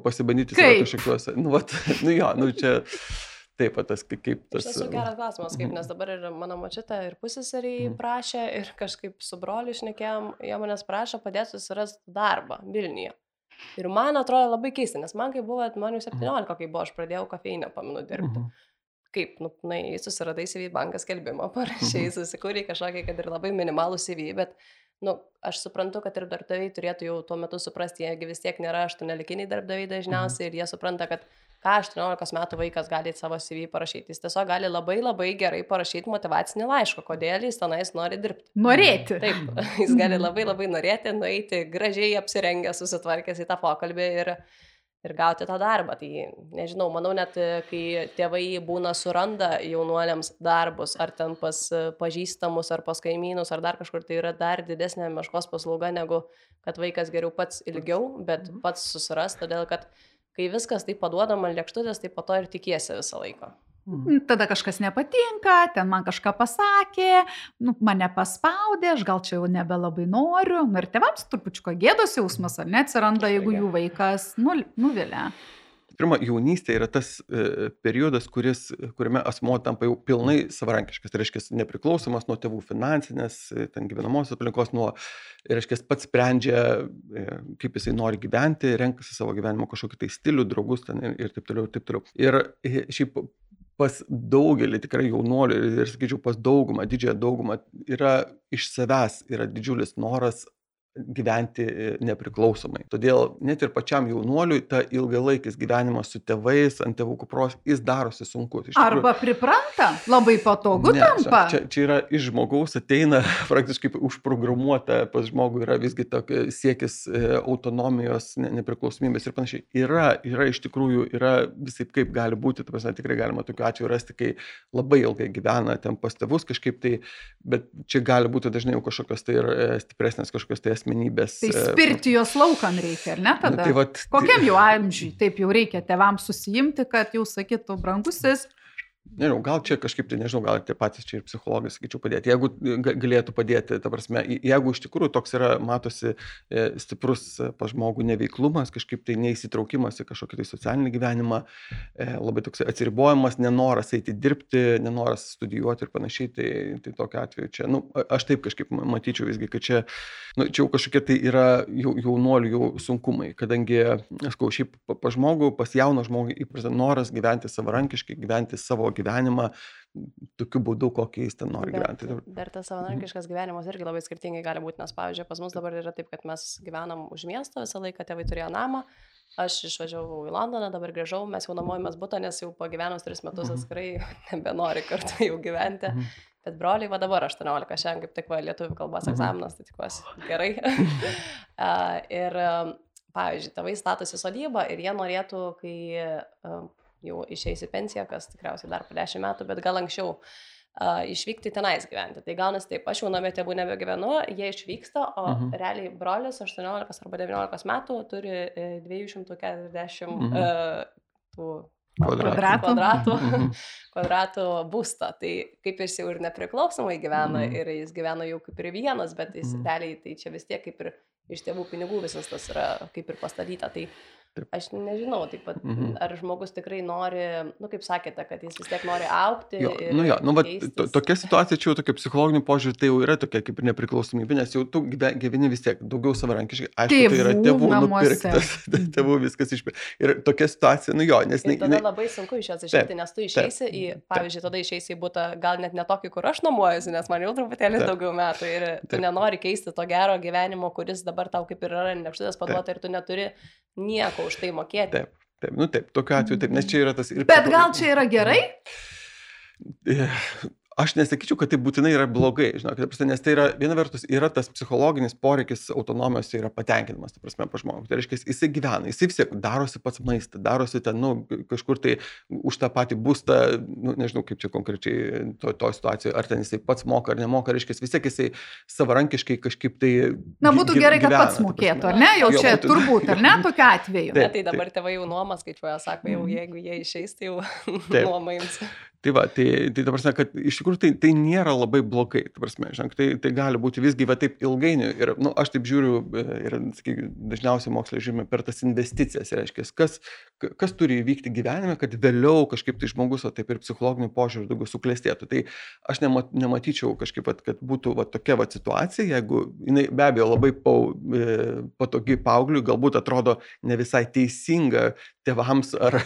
pasibandyti savo kažkokiuose, nu, vat, nu jo, nu čia taip, tas kaip tas...
Tas geras klausimas, kaip, nes dabar ir mano močiutė ir pusseserį prašė ir kažkaip su broliu šnekėjom, jie manęs prašo padėti susirasti darbą Vilniuje. Ir man atrodo labai keista, nes man kai buvo, man jau septyniolika, kai buvo, aš pradėjau kafeinę, paminu, dirbti. Kaip, nu, na, susiradai C V bankas skelbimą, parašiai, susikūrė kažkokį, kad ir labai minimalų C V, bet, nu, aš suprantu, kad ir darbdaviai turėtų jau tuo metu suprasti, jiegi vis tiek nėra aštuoniolikiniai darbdaviai dažniausiai ir jie supranta, kad ką aštuoniolikos metų vaikas gali savo C V parašyti. Jis tiesiog gali labai labai gerai parašyti motyvacinį laišką, kodėl jis tenais nori dirbti.
Norėti.
Taip, jis gali labai labai norėti, nueiti gražiai apsirengęs, susitvarkęs į tą pokalbį ir, ir gauti tą darbą. Tai nežinau, manau net, kai tėvai būna suranda jaunuoliams darbus, ar ten pas pažįstamus, ar pas kaimynus, ar dar kažkur, tai yra dar didesnė meškos paslauga, negu kad vaikas geriau pats ilgiau, bet pats susiras, todėl kad kai viskas taip paduodama lėkštutės, tai po to ir tikiesi visą laiką.
Tada kažkas nepatinka, ten man kažką pasakė, nu, mane paspaudė, aš gal čia jau nebelabai noriu. Nu, ir tėvams trupučiuko gėdos jausmas, ar ne, atsiranda, jeigu jų vaikas nu, nuvilia.
Pirma, jaunystė yra tas e, periodas, kuris, kuriame asmuo tampa jau pilnai savarankiškas. Tai reiškia, nepriklausomas nuo tėvų finansinės, ten gyvenamosios aplinkos, nuo, reiškia, pats sprendžia, e, kaip jisai nori gyventi, renkasi savo gyvenimo kažkokį tai stilių, draugus ten ir, ir taip toliau, ir taip toliau. Ir e, šiaip pas daugelį tikrai jaunuolių ir, ir sakyčiau, pas daugumą, didžiąją daugumą yra iš savęs yra didžiulis noras gyventi nepriklausomai. Todėl net ir pačiam jaunuoliui ta ilgalaikis gyvenimas su tėvais, ant tėvų kupros, jis darosi sunkus.
Tikrųjų, arba pripranta, labai patogu ne, tampa.
Čia, čia yra iš žmogaus ateina praktiškai užprogramuota, pas žmogų yra visgi tokia siekis autonomijos, ne, nepriklausomybės ir panašiai. Yra, yra iš tikrųjų, yra visai kaip gali būti, ta prasme, tikrai galima tokiu atveju rasti, kai labai ilgai gyvena ten pas tėvus kažkaip tai, bet čia gali būti dažnai jau kažkokios tai ir stipresnės kažkokios tai asmenybės.
Tai spirti jos laukan reikia, ar ne tada?
Tai vat,
kokiam jau amžiui taip jau reikia tėvams susijimti, kad jau sakytų brangusis,
Nežinau, gal čia kažkaip, tai nežinau, gal tie patys čia ir psichologai, sakyčiau, padėti. Jeigu galėtų padėti, ta prasme, jeigu iš tikrųjų toks yra, matosi stiprus pas žmogų neveiklumas, kažkaip tai neįsitraukimas į kažkokį tai socialinį gyvenimą, labai toks atsiribojimas, nenoras eiti dirbti, nenoras studijuoti ir panašiai, tai, tai tokiu atveju čia, nu, aš taip kažkaip matyčiau visgi, kad čia, nu, čia jau kažkokie tai yra jau, jaunuolių jau sunkumai, kadangi, aš kau, šiaip pas žmogų, pas jauną žmogų įprasta noras gyventi savarankiškai, gyventi savo gyvenimą tokiu būdu, kokį jis ten nori
Bet,
gyventi.
bet tas savarankiškas gyvenimas irgi labai skirtingai gali būti, nes, pavyzdžiui, pas mus dabar yra taip, kad mes gyvenam už miesto, visą laiką tėvai turėjo namą, aš išvažiavau į Londoną, dabar grįžau, mes jau nuomojamės butą, nes jau pagyvenus tris metus atskirai nebenori kartu jau gyventi. Bet broliai, va dabar aštuoniolika, šiandien kaip tik va lietuvių kalbos egzaminas, tai tikiuosi gerai. uh, ir, uh, pavyzdžiui, tėvai statosi sodybą ir jie norėtų, kai uh, jau išeis į pensiją, kas tikriausiai dar po dešimt metų, bet gal anksčiau uh, išvykti tenais gyventi. Tai gaunasi taip, aš jau namie tėvų nebegyvenu, jie išvyksta, o uh-huh. realiai brolis aštuoniolikos arba devyniolikos metų turi uh, dviejų šimtų keturiasdešimt uh-huh. uh, tų
Kvadratų.
kvadratų, kvadratų būstą. Tai kaip jis jau ir nepriklausomai gyvena
Mhm.
ir jis gyvena jau kaip ir vienas, bet jis
Mhm.
realiai tai čia vis tiek kaip ir iš tėvų pinigų visas tas yra kaip ir pastatyta. Tai
Taip.
aš nežinau, taip pat,
Mhm.
ar žmogus tikrai nori, nu kaip sakėte, kad jis vis tiek nori augti.
Jo,
ir
nu jo, nu, va,
keistis.
to, tokia situacija čia jau tokia psichologinių požiūrį, tai jau yra tokia kaip ir nepriklausomybė, nes jau tu gyve- gyveni vis tiek daugiau savarankiškai, aišku, tai yra
Tėvų
tėvų
namuose.
nupirktas, tėvų viskas išpirktas. Ir tokia situacija, nu jo, nes
Ir
jinai-
tada
jinai-
labai sunku iš jos išeiti, nes tu išeisi į, pavyzdžiui, tada išeisi į butą, gal net ne tokį, kur aš nuomojuosi, nes man jau truputėlį
Taip.
daugiau metų ir tu
Taip.
nenori keisti to gero gyvenimo, kuris dabar tau kaip ir yra nekštutės paduota ir tu neturi nieko už tai mokėti.
Taip, taip, nu taip, tokiu atveju taip, nes čia yra tas ir...
Bet gal čia yra gerai?
Aš nesakyčiau, kad tai būtinai yra blogai, žinok, ta prasme, nes tai yra, viena vertus, yra tas psichologinis poreikis autonomijos, tai yra patenkinimas, ta prasme, pa žmogų. Tai reiškia, jisai gyvena, jisai vis tiek darosi pats maistą, darosi ten, nu, kažkur tai už tą patį būstą, nu, nežinau, kaip čia konkrečiai to, to situacijoje, ar ten jisai pats moka ar nemoka, reiškia, vis tiek jisai savarankiškai kažkaip tai...
Na, būtų
gy-
gerai, kad
gyvena,
pats
ta
mokėtų,
prasme.
ar ne? Jau
Jo,
čia
būtų-
turbūt, ar ne, tokiu atveju.
Taip.
Ne, tai dabar tėvai jau nuomą skaičiuoja, sako, jau jeigu jie išeis, tai jau
Taip.
nuomą jums.
Tai va, tai, tai ta prasme, kad iš tikrųjų tai, tai nėra labai blogai, ta prasme, žinok, tai, tai gali būti visgi va taip ilgainiui ir, nu, aš taip žiūriu ir, sakykime, dažniausiai moksle žiūrime per tas investicijas, reiškia, kas, kas turi įvykti gyvenime, kad vėliau kažkaip tai žmogus, o taip ir psichologinių požiūrių daugiau suklestėtų. Tai aš nemat, nematyčiau kažkaip, va, kad būtų va, tokia va, situacija, jeigu jinai be abejo labai pau, patogi paaugliui, galbūt atrodo ne visai teisinga tėvams ar,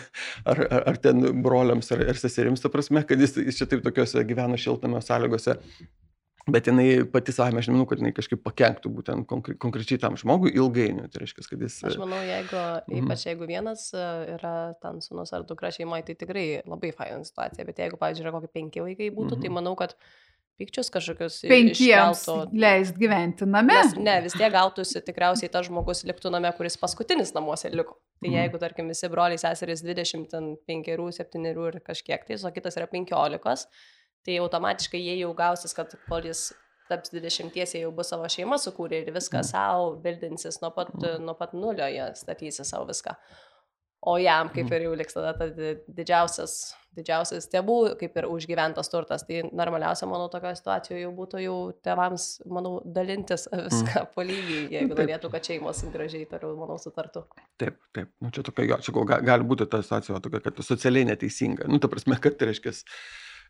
ar, ar, ar ten broliams ar, ar seserims, ta prasme, kad jis, jis čia taip tokiuose gyvena šiltame sąlygose. Bet jinai pati savame, aš nemanau, kad jinai kažkaip pakenktų būtent konkre, konkrečiai tam žmogui ilgainiui. Tai reiškia, kad jis...
Aš manau, jeigu,
Mhm.
ypač jeigu vienas e, yra ten sūnus ar dukra šeimoje, tai tikrai labai faina situacija. Bet jeigu, pavyzdžiui, yra kokie penki vaikai būtų,
Mhm.
tai manau, kad pykčius kažkokius i-
Penkiems
iškeltų.
leist gyventi name.
Nes ne, vis tiek gautųsi tikriausiai tas žmogus liktų name, kuris paskutinis namuose liko. Tai
Mhm.
jeigu, tarkim, visi broliai seserys dvidešimt penkerių, septynerių ir kažkiek, tai o kitas yra penkiolikos, tai automatiškai jie jau gausis, kad kol jis taps dvidešimties, jie jau bus savo šeimą sukūrę ir viską savo bildinsis nuo pat, nuo pat nulio, jie statysi savo viską. O jam kaip ir jau liks tada ta di- didžiausias, didžiausias tėvų, kaip ir užgyventas turtas. Tai normaliausia, manau, tokio situacijoje jau būtų jau tėvams, manau, dalintis viską po lygiai, jeigu
Taip.
norėtų, kad šeimos gražiai toliau, manau, sutartų.
Taip, taip. Nu, čia tokia, jo, čia gal, ga- gali būti ta situacija va tokia, kad socialiai neteisinga. Nu, ta prasme, kad tai reiškia,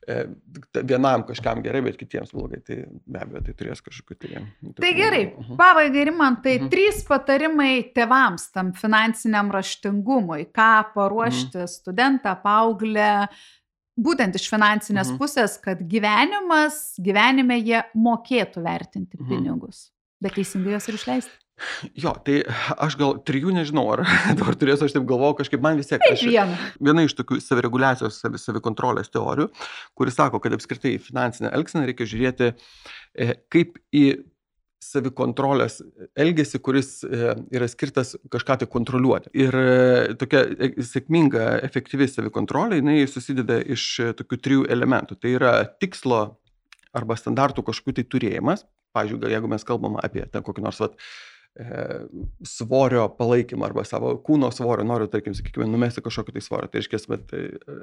e, ta- vienam kažkam gerai, bet kitiems blogai. Tai be abejo, tai turės kažkokiu tai...
Tai gerai,
Mhm.
pabaigai Rimantai,
Mhm.
trys patarimai tėvams tam finansiniam raštingumui, ką paruošti studentą, paauglę, būtent iš finansinės
Mhm.
pusės, kad gyvenimas, gyvenime jie mokėtų vertinti
Mhm.
pinigus, bet teisingai juos ir išleisti.
Jo, tai aš gal trijų nežinau, ar dabar turėsiu, aš taip galvoju, kažkaip man vis tiek...
Taip
aš-
vieną.
Viena iš tokių savireguliacijos, savi, savikontrolės teorijų, kuris sako, kad apskritai į finansinę elgseną reikia žiūrėti e, kaip į savikontrolės elgesį, kuris e, yra skirtas kažką tai kontroliuoti. Ir e, tokia e, sėkminga, efektyvi savikontrolė, jinai susideda iš e, tokių trijų elementų. Tai yra tikslo arba standartų kažkokių tai turėjimas. Pavyzdžiui, gal jeigu mes kalbam apie ten kokį nors vat, svorio palaikymą arba savo kūno svorio, noriu, tarkim, sakykime, numesti kažkokį tai svorio, tai reiškia, bet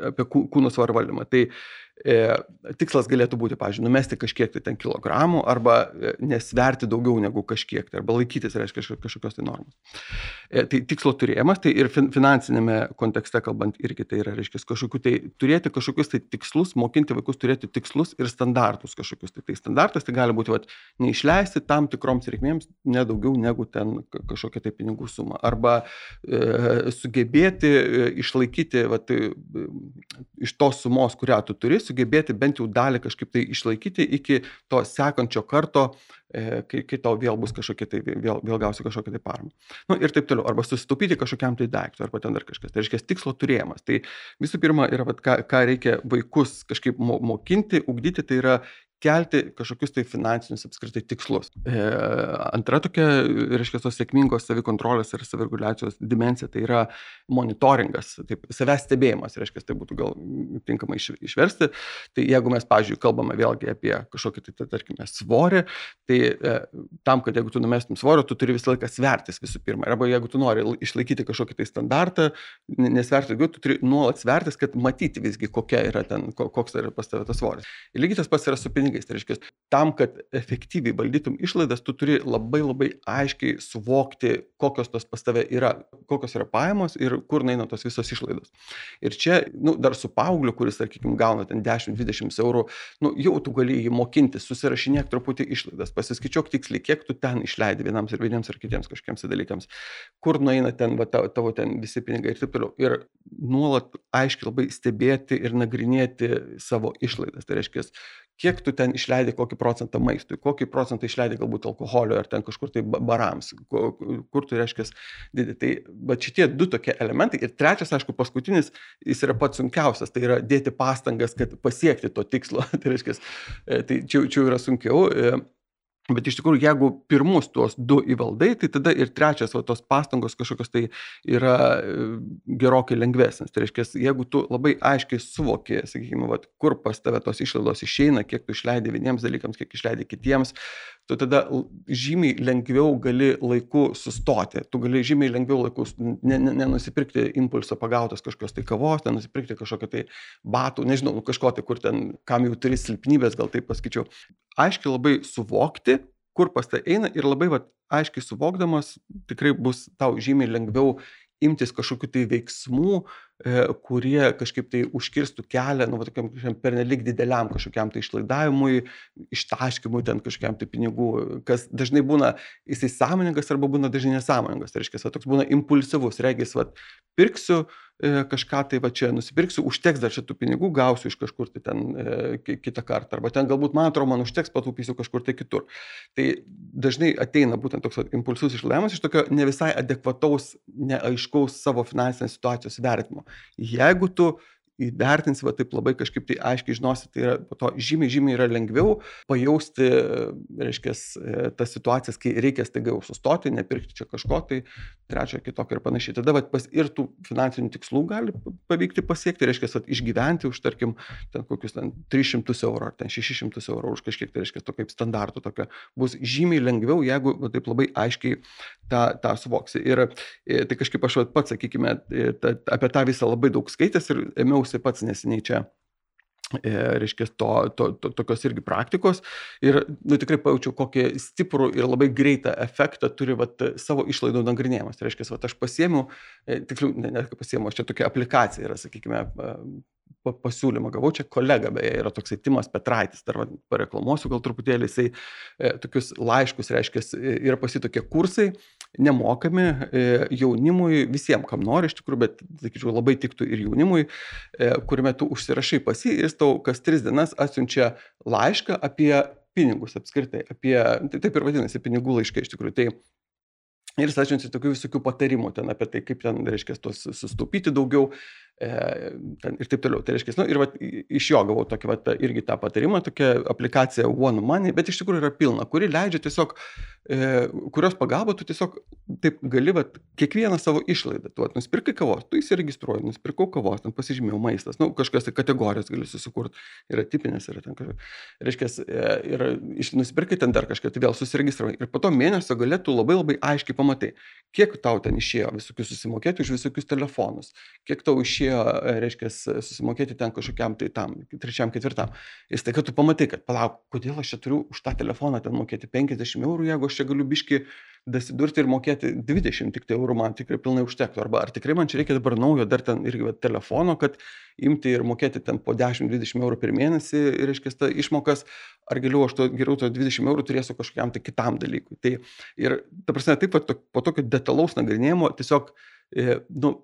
apie kūno svorio valdymą. Tai e, tikslas galėtų būti, pavyzdžiui, numesti kažkiek tai ten kilogramų arba nesverti daugiau negu kažkiek tai, arba laikytis, reiškia, kažkokios tai normos. E, tai tikslo turėjimas, tai ir fin, finansinėme kontekste kalbant irgi tai yra, reiškia, kažkokiu tai turėti kažkokius tai tikslus, mokinti vaikus turėti tikslus ir standartus kažkokius. Tai, tai standartas tai gali būti, vat, neišleisti tam tikroms reikmėms nedaugiau negu ten kažkokia tai pinigų suma. Arba e, sugebėti e, išlaikyti vat, e, iš tos sumos, kurią tu turi, sugebėti bent jau dalį kažkaip tai išlaikyti iki to sekančio karto, e, kai, kai tau vėl bus kažkokia tai, vėl, vėl gausi kažkokią tai paramą. Nu, ir taip toliau. Arba susitaupyti kažkokiam tai daiktui, arba ten dar kažkas. Tai reiškia tikslo turėjimas. Tai visų pirma yra, vat, ką, ką reikia vaikus kažkaip mokinti, ugdyti, tai yra kelti kažkokius tai finansinius apskritai tikslus. E, antra tokia, reiškia, tos sėkmingos savikontrolės ir savireguliacijos dimensija, tai yra monitoringas, taip, savęs stebėjimas, reiškia, tai būtų gal tinkamai iš, išversti. Tai jeigu mes, pavyzdžiui, kalbame vėlgi apie kažkokį, tai, tarkime, svorį, tai e, tam, kad jeigu tu numestum svorio, tu turi visą laiką svertis visų pirma. Arba jeigu tu nori išlaikyti kažkokį tai standartą, nesverti daugiau, tu turi nuolat svertis, kad matyti visgi, kokia yra ten, koks yra pas tave tas svoris. Ir lygiai tas pats yra su pinigais. Tai reiškia, tam, kad efektyviai valdytum išlaidas, tu turi labai labai aiškiai suvokti, kokios tos pas tave yra, kokios yra pajamos ir kur eina tos visos išlaidos. Ir čia, nu, dar su paaugliu, kuris, sakykime, gauna ten dešimt dvidešimt eurų, nu, jau tu gali jį mokinti, susirašinėk truputį išlaidas, pasiskaičiuok tiksliai, kiek tu ten išleidi vienams ir vieniems ir kitiems kažkiems dalykams, kur nueina ten, va, tavo ten visi pinigai ir taip toliau. Ir nuolat aiškiai labai stebėti ir nagrinėti savo išlaidas. Tai reiškia, kiek tu ten išleidi kokį procentą maistui, kokį procentą išleidi galbūt alkoholio ar ten kažkur tai barams, kur tu reiškia didį. Tai bet šitie du tokie elementai. Ir trečias, aišku, paskutinis, jis yra pats sunkiausias, tai yra dėti pastangas, kad pasiekti to tikslo. Tai reiškia, tai čia, čia yra sunkiau. Bet iš tikrųjų, jeigu pirmus tuos du įvaldai, tai tada ir trečias, va, tos pastangos kažkokios tai yra gerokai lengvesnis. Tai reiškia, jeigu tu labai aiškiai suvoki, sakykime, va, kur pas tave tos išlaidos išeina, kiek tu išleidi vieniems dalykams, kiek išleidi kitiems, tu tada žymiai lengviau gali laiku sustoti. Tu gali žymiai lengviau laiku nenusipirkti ne, ne impulso pagautos kažkokios tai kavos, nenusipirkti kažkokio tai batų, nežinau, kažko tai, kur ten, kam jau turi silpnybės, gal taip pasakyčiau. Aiškiai labai suvokti, kur pas tai eina ir labai va, aiškiai suvokdamas tikrai bus tau žymiai lengviau imtis kažkokių tai veiksmų, e, kurie kažkaip tai užkirstų kelią, nu, va, tokiam pernelyg dideliam kažkokiam tai išlaidavimui, ištaškimui ten kažkokiam tai pinigų, kas dažnai būna jisai sąmoningas arba būna dažnai nesąmoningas. Tai reiškia, va, toks būna impulsyvus, regis, va, pirksiu e, kažką tai va čia nusipirksiu, užteks dar šitų pinigų, gausiu iš kažkur tai ten e, kitą kartą, arba ten galbūt man atrodo, man užteks, patūpysiu kažkur tai kitur. Tai dažnai ateina būtent toks va, impulsyvus išlaidavimas iš tokio ne visai adekvataus, neaiškaus savo finansinės situacijos vertimo. Jeigu tu įvertinsi, va, taip labai kažkaip tai aiškiai žinosi, tai yra po to žymiai, žymiai yra lengviau pajausti, reiškia, tas situacijas, kai reikia staiga jau sustoti, nepirkti čia kažko, tai trečio, kitokio ir panašiai. Tada va, pas, ir tų finansinių tikslų gali pavykti pasiekti, reiškia, va, išgyventi už, tarkim, ten kokius ten tris šimtus eurų ar ten šešis šimtus eurų už kažkiek, tai reiškia, to kaip standartų tokio. Bus žymiai lengviau, jeigu va, taip labai aiškiai tą, tą suvoksi. Ir tai kažkaip aš va, pats, sakykime, ta, apie tą visą labai daug skaitęs ir ėmiausi pats neseniai čia, e, reiškia, to, to, to, tokios irgi praktikos ir, nu, tikrai pajaučiau, kokį stiprų ir labai greitą efektą turi, vat, savo išlaidų nagrinėjimas. Tai reiškia, vat, aš pasiėmiau, e, tiksliau, ne, ne, pasiėmiau, aš čia tokia aplikacija yra, sakykime, pasiūlymą gavau, čia kolega, beje, yra toksai Timas Petraitis, dar pareklamuosiu gal truputėlį, jisai e, tokius laiškus, reiškia, yra pasi tokie kursai, nemokami e, jaunimui, visiems, kam nori iš tikrųjų, bet, sakyčiau, labai tiktų ir jaunimui, e, kuriame tu užsirašai pasi ir jis tau kas tris dienas atsiunčia laišką apie pinigus apskritai, apie, tai taip ir vadinasi, pinigų laiškai iš tikrųjų. Tai ir jis atsiunčia tokių visokių patarimų ten apie tai, kaip ten, reiškia, tos sustaupyti daugiau, e, ten, ir taip toliau. Tai reiškia, nu, ir vat, iš jo gavau tokį, vat, irgi tą patarimą, tokia aplikacija One Money, bet iš tikrųjų yra pilna, kuri leidžia tiesiog, e, kurios pagalba tu tiesiog taip gali, vat, kiekvieną savo išlaidą, tu vat, nusipirkai kavos, tu įsiregistruoji, nusipirkau kavos, ten pasižymėjau maistas, nu, kažkas tai kategorijas gali susikurti, yra tipinės, yra ten kažkas, reiškia, ir iš, nusipirkai ten dar kažką, tai vėl susiregistravai ir po to mėnesio galėtų labai labai aiškiai pamatai, kiek tau ten išėjo visokius susimokėti už visokius telefonus, kiek tau išėjo, reiškia, susimokėti ten kažkokiam tai tam, trečiam, ketvirtam. Ir tai, kad tu pamatai, kad palauk, kodėl aš čia turiu už tą telefoną ten mokėti penkiasdešimt eurų, jeigu aš čia galiu biški dasidurti ir mokėti dvidešimt tik tai eurų, man tikrai pilnai užtektų. Arba ar tikrai man čia reikia dabar naujo dar ten irgi telefono, kad imti ir mokėti ten po dešimt dvidešimt eurų per mėnesį, ir reiškia, ta išmokas, ar geriau aš to, geriau to dvidešimt eurų turėsiu kažkokiam tai kitam dalykui. Tai ir, ta prasme, taip pat po tokio detalaus nagrinėjimo tiesiog, e, nu,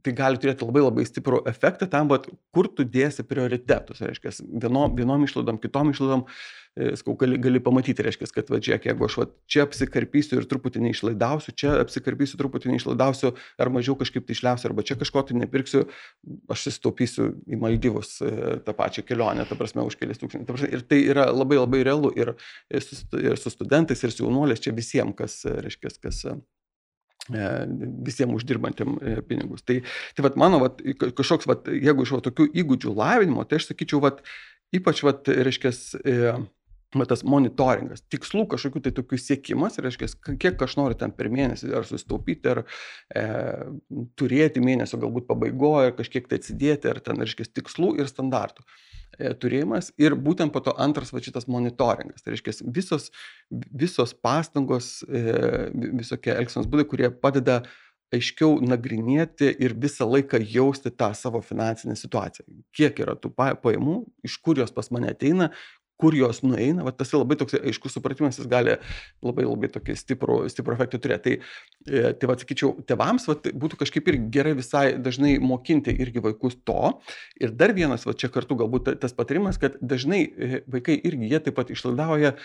tai gali turėti labai labai stiprų efektą tam, bet kur tu dėsi prioritetus, reiškia, vienom, vienom išlaidom, kitom išlaidom, e, skau, gali, gali pamatyti, reiškia, kad va, žiūrėk, jeigu aš va, čia apsikarpysiu ir truputį neišlaidausiu, čia apsikarpysiu, truputį neišlaidausiu, ar mažiau kažkaip tai išliausiu, arba čia kažko tai nepirksiu, aš susitaupysiu į Maldyvus e, tą pačią kelionę, ta prasme, už kelias tūkstančius. Ir tai yra labai labai realu ir, ir, su, ir su studentais, ir su jaunuoliais, čia visiems, kas, reiškia, kas visiems uždirbantiem pinigus. Tai, tai vat, mano, vat, kažkoks, vat, jeigu iš vat, tokių įgūdžių lavinimo, tai aš sakyčiau, vat, ypač, vat, reiškia, vat, tas monitoringas, tikslų kažkokių tai tokių siekimas, reiškia, kiek aš noriu ten per mėnesį ar susitaupyti, ar e, turėti mėnesio galbūt pabaigoje, kažkiek tai atsidėti, ar ten, reiškia, tikslų ir standartų turėjimas, ir būtent po to antras va šitas monitoringas. Tai reiškia, visos, visos pastangos, visokie elgsenos būdai, kurie padeda aiškiau nagrinėti ir visą laiką jausti tą savo finansinę situaciją. Kiek yra tų pajamų, iš kur jos pas mane ateina, kur jos nueina, va, tas labai toks aiškus supratimas, jis gali labai labai tokį stiprų, stiprų efektą turėti. Tai, tai va, sakyčiau, tėvams va, būtų kažkaip ir gerai visai dažnai mokinti irgi vaikus to. Ir dar vienas, va, čia kartu galbūt tas patarimas, kad dažnai vaikai irgi jie taip pat išlaidauja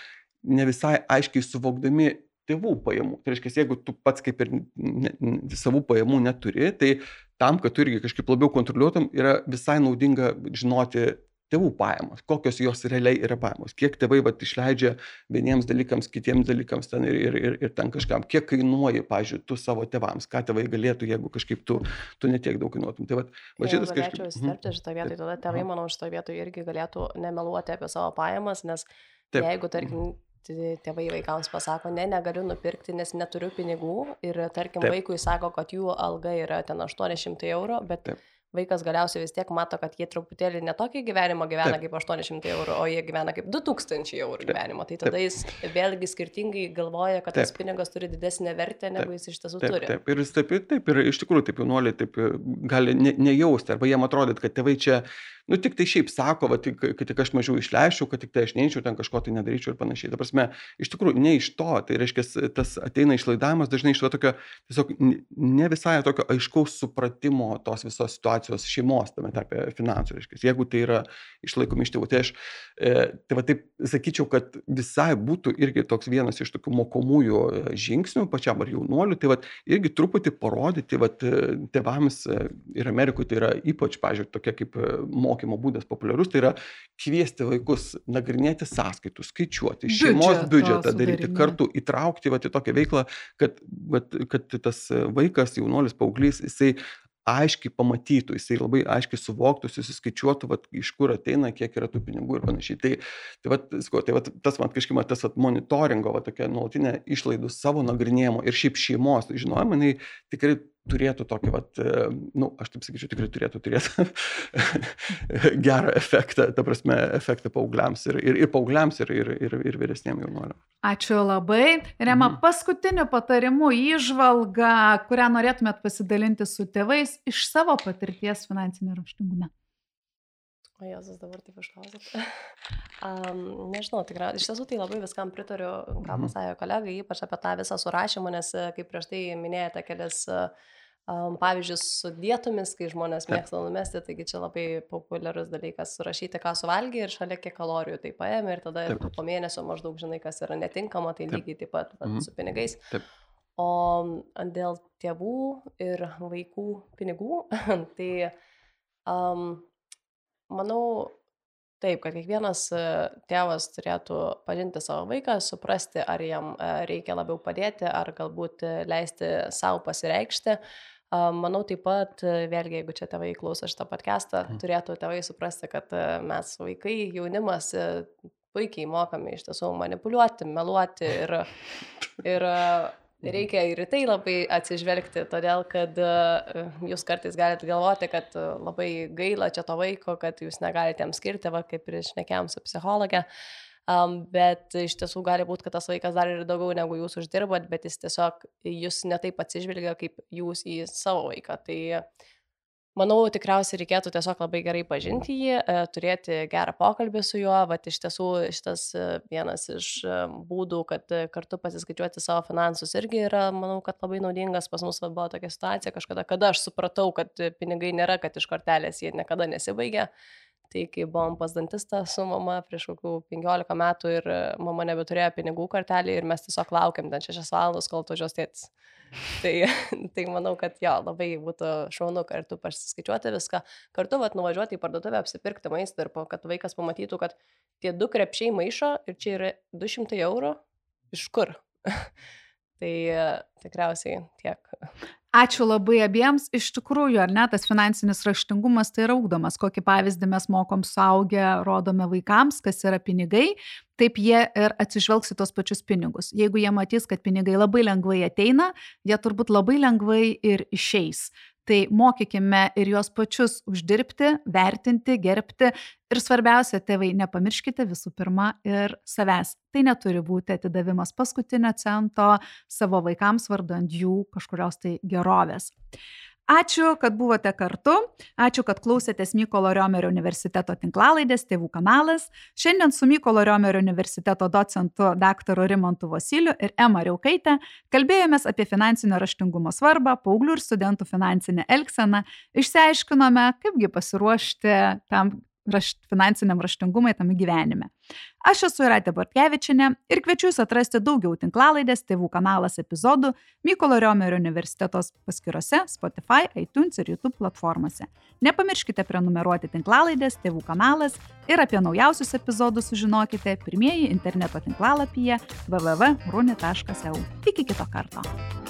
ne visai aiškiai suvokdami tėvų pajamų. Tai reiškia, jeigu tu pats kaip ir ne, savų pajamų neturi, tai tam, kad tu irgi kažkaip labiau kontroliuotum, yra visai naudinga žinoti tėvų pajamos, kokios jos realiai yra pajamos, kiek tėvai vat, išleidžia vieniems dalykams, kitiems dalykams ten ir, ir, ir, ir ten kažkam, kiek kainuoji, pavyzdžiui, tu savo tėvams, ką tėvai galėtų, jeigu kažkaip tu, tu netiek daug kainuotum. Tai vat, va šitas kažkaip...
Galėčiau įsiterpti šitą vietą, tada tėvai, manau, šitą vietą irgi galėtų nemeluoti apie savo pajamas, nes Taip. Jeigu, tarkim, tėvai vaikams pasako, ne, negaliu nupirkti, nes neturiu pinigų, ir, tarkim, Taip. Vaikui sako, kad jų alga yra ten aštuoni šimtai eurų, bet... Taip. Vaikas galiausiai vis tiek mato, kad jie truputėlį netokį gyvenimą gyvena Taip. Kaip aštuoni šimtai eurų, o jie gyvena kaip du tūkstančiai eurų gyvenimo. Tai tada Taip. Jis vėlgi skirtingai galvoja, kad Taip. Tas pinigas turi didesnę vertę, negu Taip. Jis iš tiesų
Taip.
turi.
Taip. Ir, taip, taip, ir iš tikrųjų taip jaunuoliai taip gali ne, nejausti, arba jiem atrodyt, kad tėvai čia, nu tik tai šiaip sako, va, tik, kad tik aš mažiau išleičiau, kad tik tai aš neičiau, ten kažko tai nedaryčiau ir panašiai. Ta prasme, iš tikrųjų ne iš to, tai reiškia, tas ateina išlaidavimas dažnai iš to tokio, tiesiog ne visai tokio aiškaus supratimo tos visos situacijos šeimos, tame tarpe finansų, reiškia. Jeigu tai yra išlaikomi iš tėvų, tai aš, e, tai va taip sakyčiau, kad visai būtų irgi toks vienas iš tokių mokomųjų žingsnių pačiam ar jaunuoliu, tai va irgi truputį parodyti, va tėvams ir Amerikoje tai yra ypač, pažiūrėjau, tokia kaip mokymo būdas populiarus, tai yra kviesti vaikus nagrinėti sąskaitų, skaičiuoti, šeimos biudžetą daryti, kartu įtraukti va, į tokią veiklą, kad, va, kad tas vaikas, jaunuolis, paauglys, jisai aiškiai pamatytų, jisai labai aiškiai suvoktų, susiskaičiuotų, vat, iš kur ateina, kiek yra tų pinigų ir panašiai. Tai, tai, vat, sko, tai vat, tas man kažkaip tas vat, monitoringo, vat, tokia nuolatinė išlaidų savo nagrinėjimo ir šiaip šeimos žinojimo, jinai tikrai turėtų tokį, vat, nu, aš taip sakyčiau, tikrai turėtų turėti gerą efektą, ta prasme, efektą paaugliams ir, ir, ir paaugliams ir, ir, ir, ir vyresniem jaunuoliam.
Ačiū labai. Rema, mhm. paskutiniu patarimu įžvalga, kurią norėtumėt pasidalinti su tėvais iš savo patirties finansinio raštingume.
O Jėzus, dabar taip išklausėt. um, nežinau, tikrai, iš tiesų tai labai viskam pritariu, ką pasakė kolegai, ypač apie tą visą surašymą, nes kaip prieš tai minėjote kelias um, pavyzdžius su dietomis, kai žmonės mėgsta numesti, taigi čia labai populiarus dalykas surašyti, ką suvalgė ir šalia kiek kalorijų tai paėmė ir tada Taip. Po mėnesio maždaug žinai, kas yra netinkama, tai Taip. Lygiai taip pat mm. su pinigais. Taip. O dėl tėvų ir vaikų pinigų, tai Um, manau, taip, kad kiekvienas e, tėvas turėtų pažinti savo vaiką, suprasti, ar jam e, reikia labiau padėti, ar galbūt e, leisti savo pasireikšti. A, Manau taip pat, e, vėlgi, jeigu čia tėvai klauso šitą podcastą, turėtų tėvai suprasti, kad e, mes vaikai, jaunimas e, puikiai mokame iš tiesų manipuliuoti, meluoti ir, ir e, reikia ir į tai labai atsižvelgti, todėl kad e, jūs kartais galite galvoti, kad e, labai gaila čia to vaiko, kad jūs negalite jam skirti, va, kaip ir šnekėjom su psichologė. Um, bet iš tiesų gali būti, kad tas vaikas dar ir daugiau negu jūs uždirbat, bet jis tiesiog jūs netaip atsižvelgia, kaip jūs į savo vaiką. Tai manau, tikriausiai reikėtų tiesiog labai gerai pažinti jį, e, turėti gerą pokalbį su juo. Vat iš tiesų šitas e, vienas iš e, būdų, kad e, kartu pasiskaičiuoti savo finansus irgi yra, manau, kad labai naudingas. Pas mus va buvo tokia situacija kažkada, kada aš supratau, kad e, pinigai nėra, kad iš kortelės jie niekada nesibaigia. Tai kai buvom pas dantistą su mama prieš kokių penkiolika metų ir e, mama nebeturėjo pinigų kortelį ir mes tiesiog laukiam ten šešias valandas, kol atvažiuos tėtis. Tai, tai manau, kad jo, labai būtų šaunu kartu pasiskaičiuoti viską, kartu vat, nuvažiuoti į parduotuvę, apsipirkti maisto ir po, kad vaikas pamatytų, kad tie du krepšiai maišo ir čia yra du šimtai eurų. Iš kur? Tai e, tikriausiai tiek.
Ačiū labai abiems. Iš tikrųjų, ar ne, tas finansinis raštingumas tai yra ugdomas. Kokį pavyzdį mes mokom suaugę, rodome vaikams, kas yra pinigai, taip jie ir atsižvelgs į tos pačius pinigus. Jeigu jie matys, kad pinigai labai lengvai ateina, jie turbūt labai lengvai ir išeis. Tai mokykime ir juos pačius uždirbti, vertinti, gerbti. Ir svarbiausia, tėvai, nepamirškite visų pirma ir savęs. Tai neturi būti atidavimas paskutinio cento savo vaikams vardant jų kažkurios tai gerovės. Ačiū, kad buvote kartu. Ačiū, kad klausėtės Mykolo Riomerio universiteto tinklalaidės Tėvų kanalas. Šiandien su Mykolo Riomerio universiteto docentu daktaru Rimantu Vosyliu ir Ema Riaukaite kalbėjomės apie finansinio raštingumo svarbą, paauglių ir studentų finansinę elgseną. Išsiaiškinome, kaipgi pasiruošti tam rašt, finansiniam raštingumui tame gyvenime. Aš esu Jūratė Bortkevičienė ir kviečiu jūs atrasti daugiau tinklalaidės Tėvų kanalas epizodų Mykolo Riomerio universiteto paskyrose Spotify, iTunes ir YouTube platformose. Nepamirškite prenumeruoti tinklalaidės Tėvų kanalas ir apie naujausius epizodus sužinokite pirmieji interneto tinklalapyje w w w taškas runi taškas e u. Iki kito karto.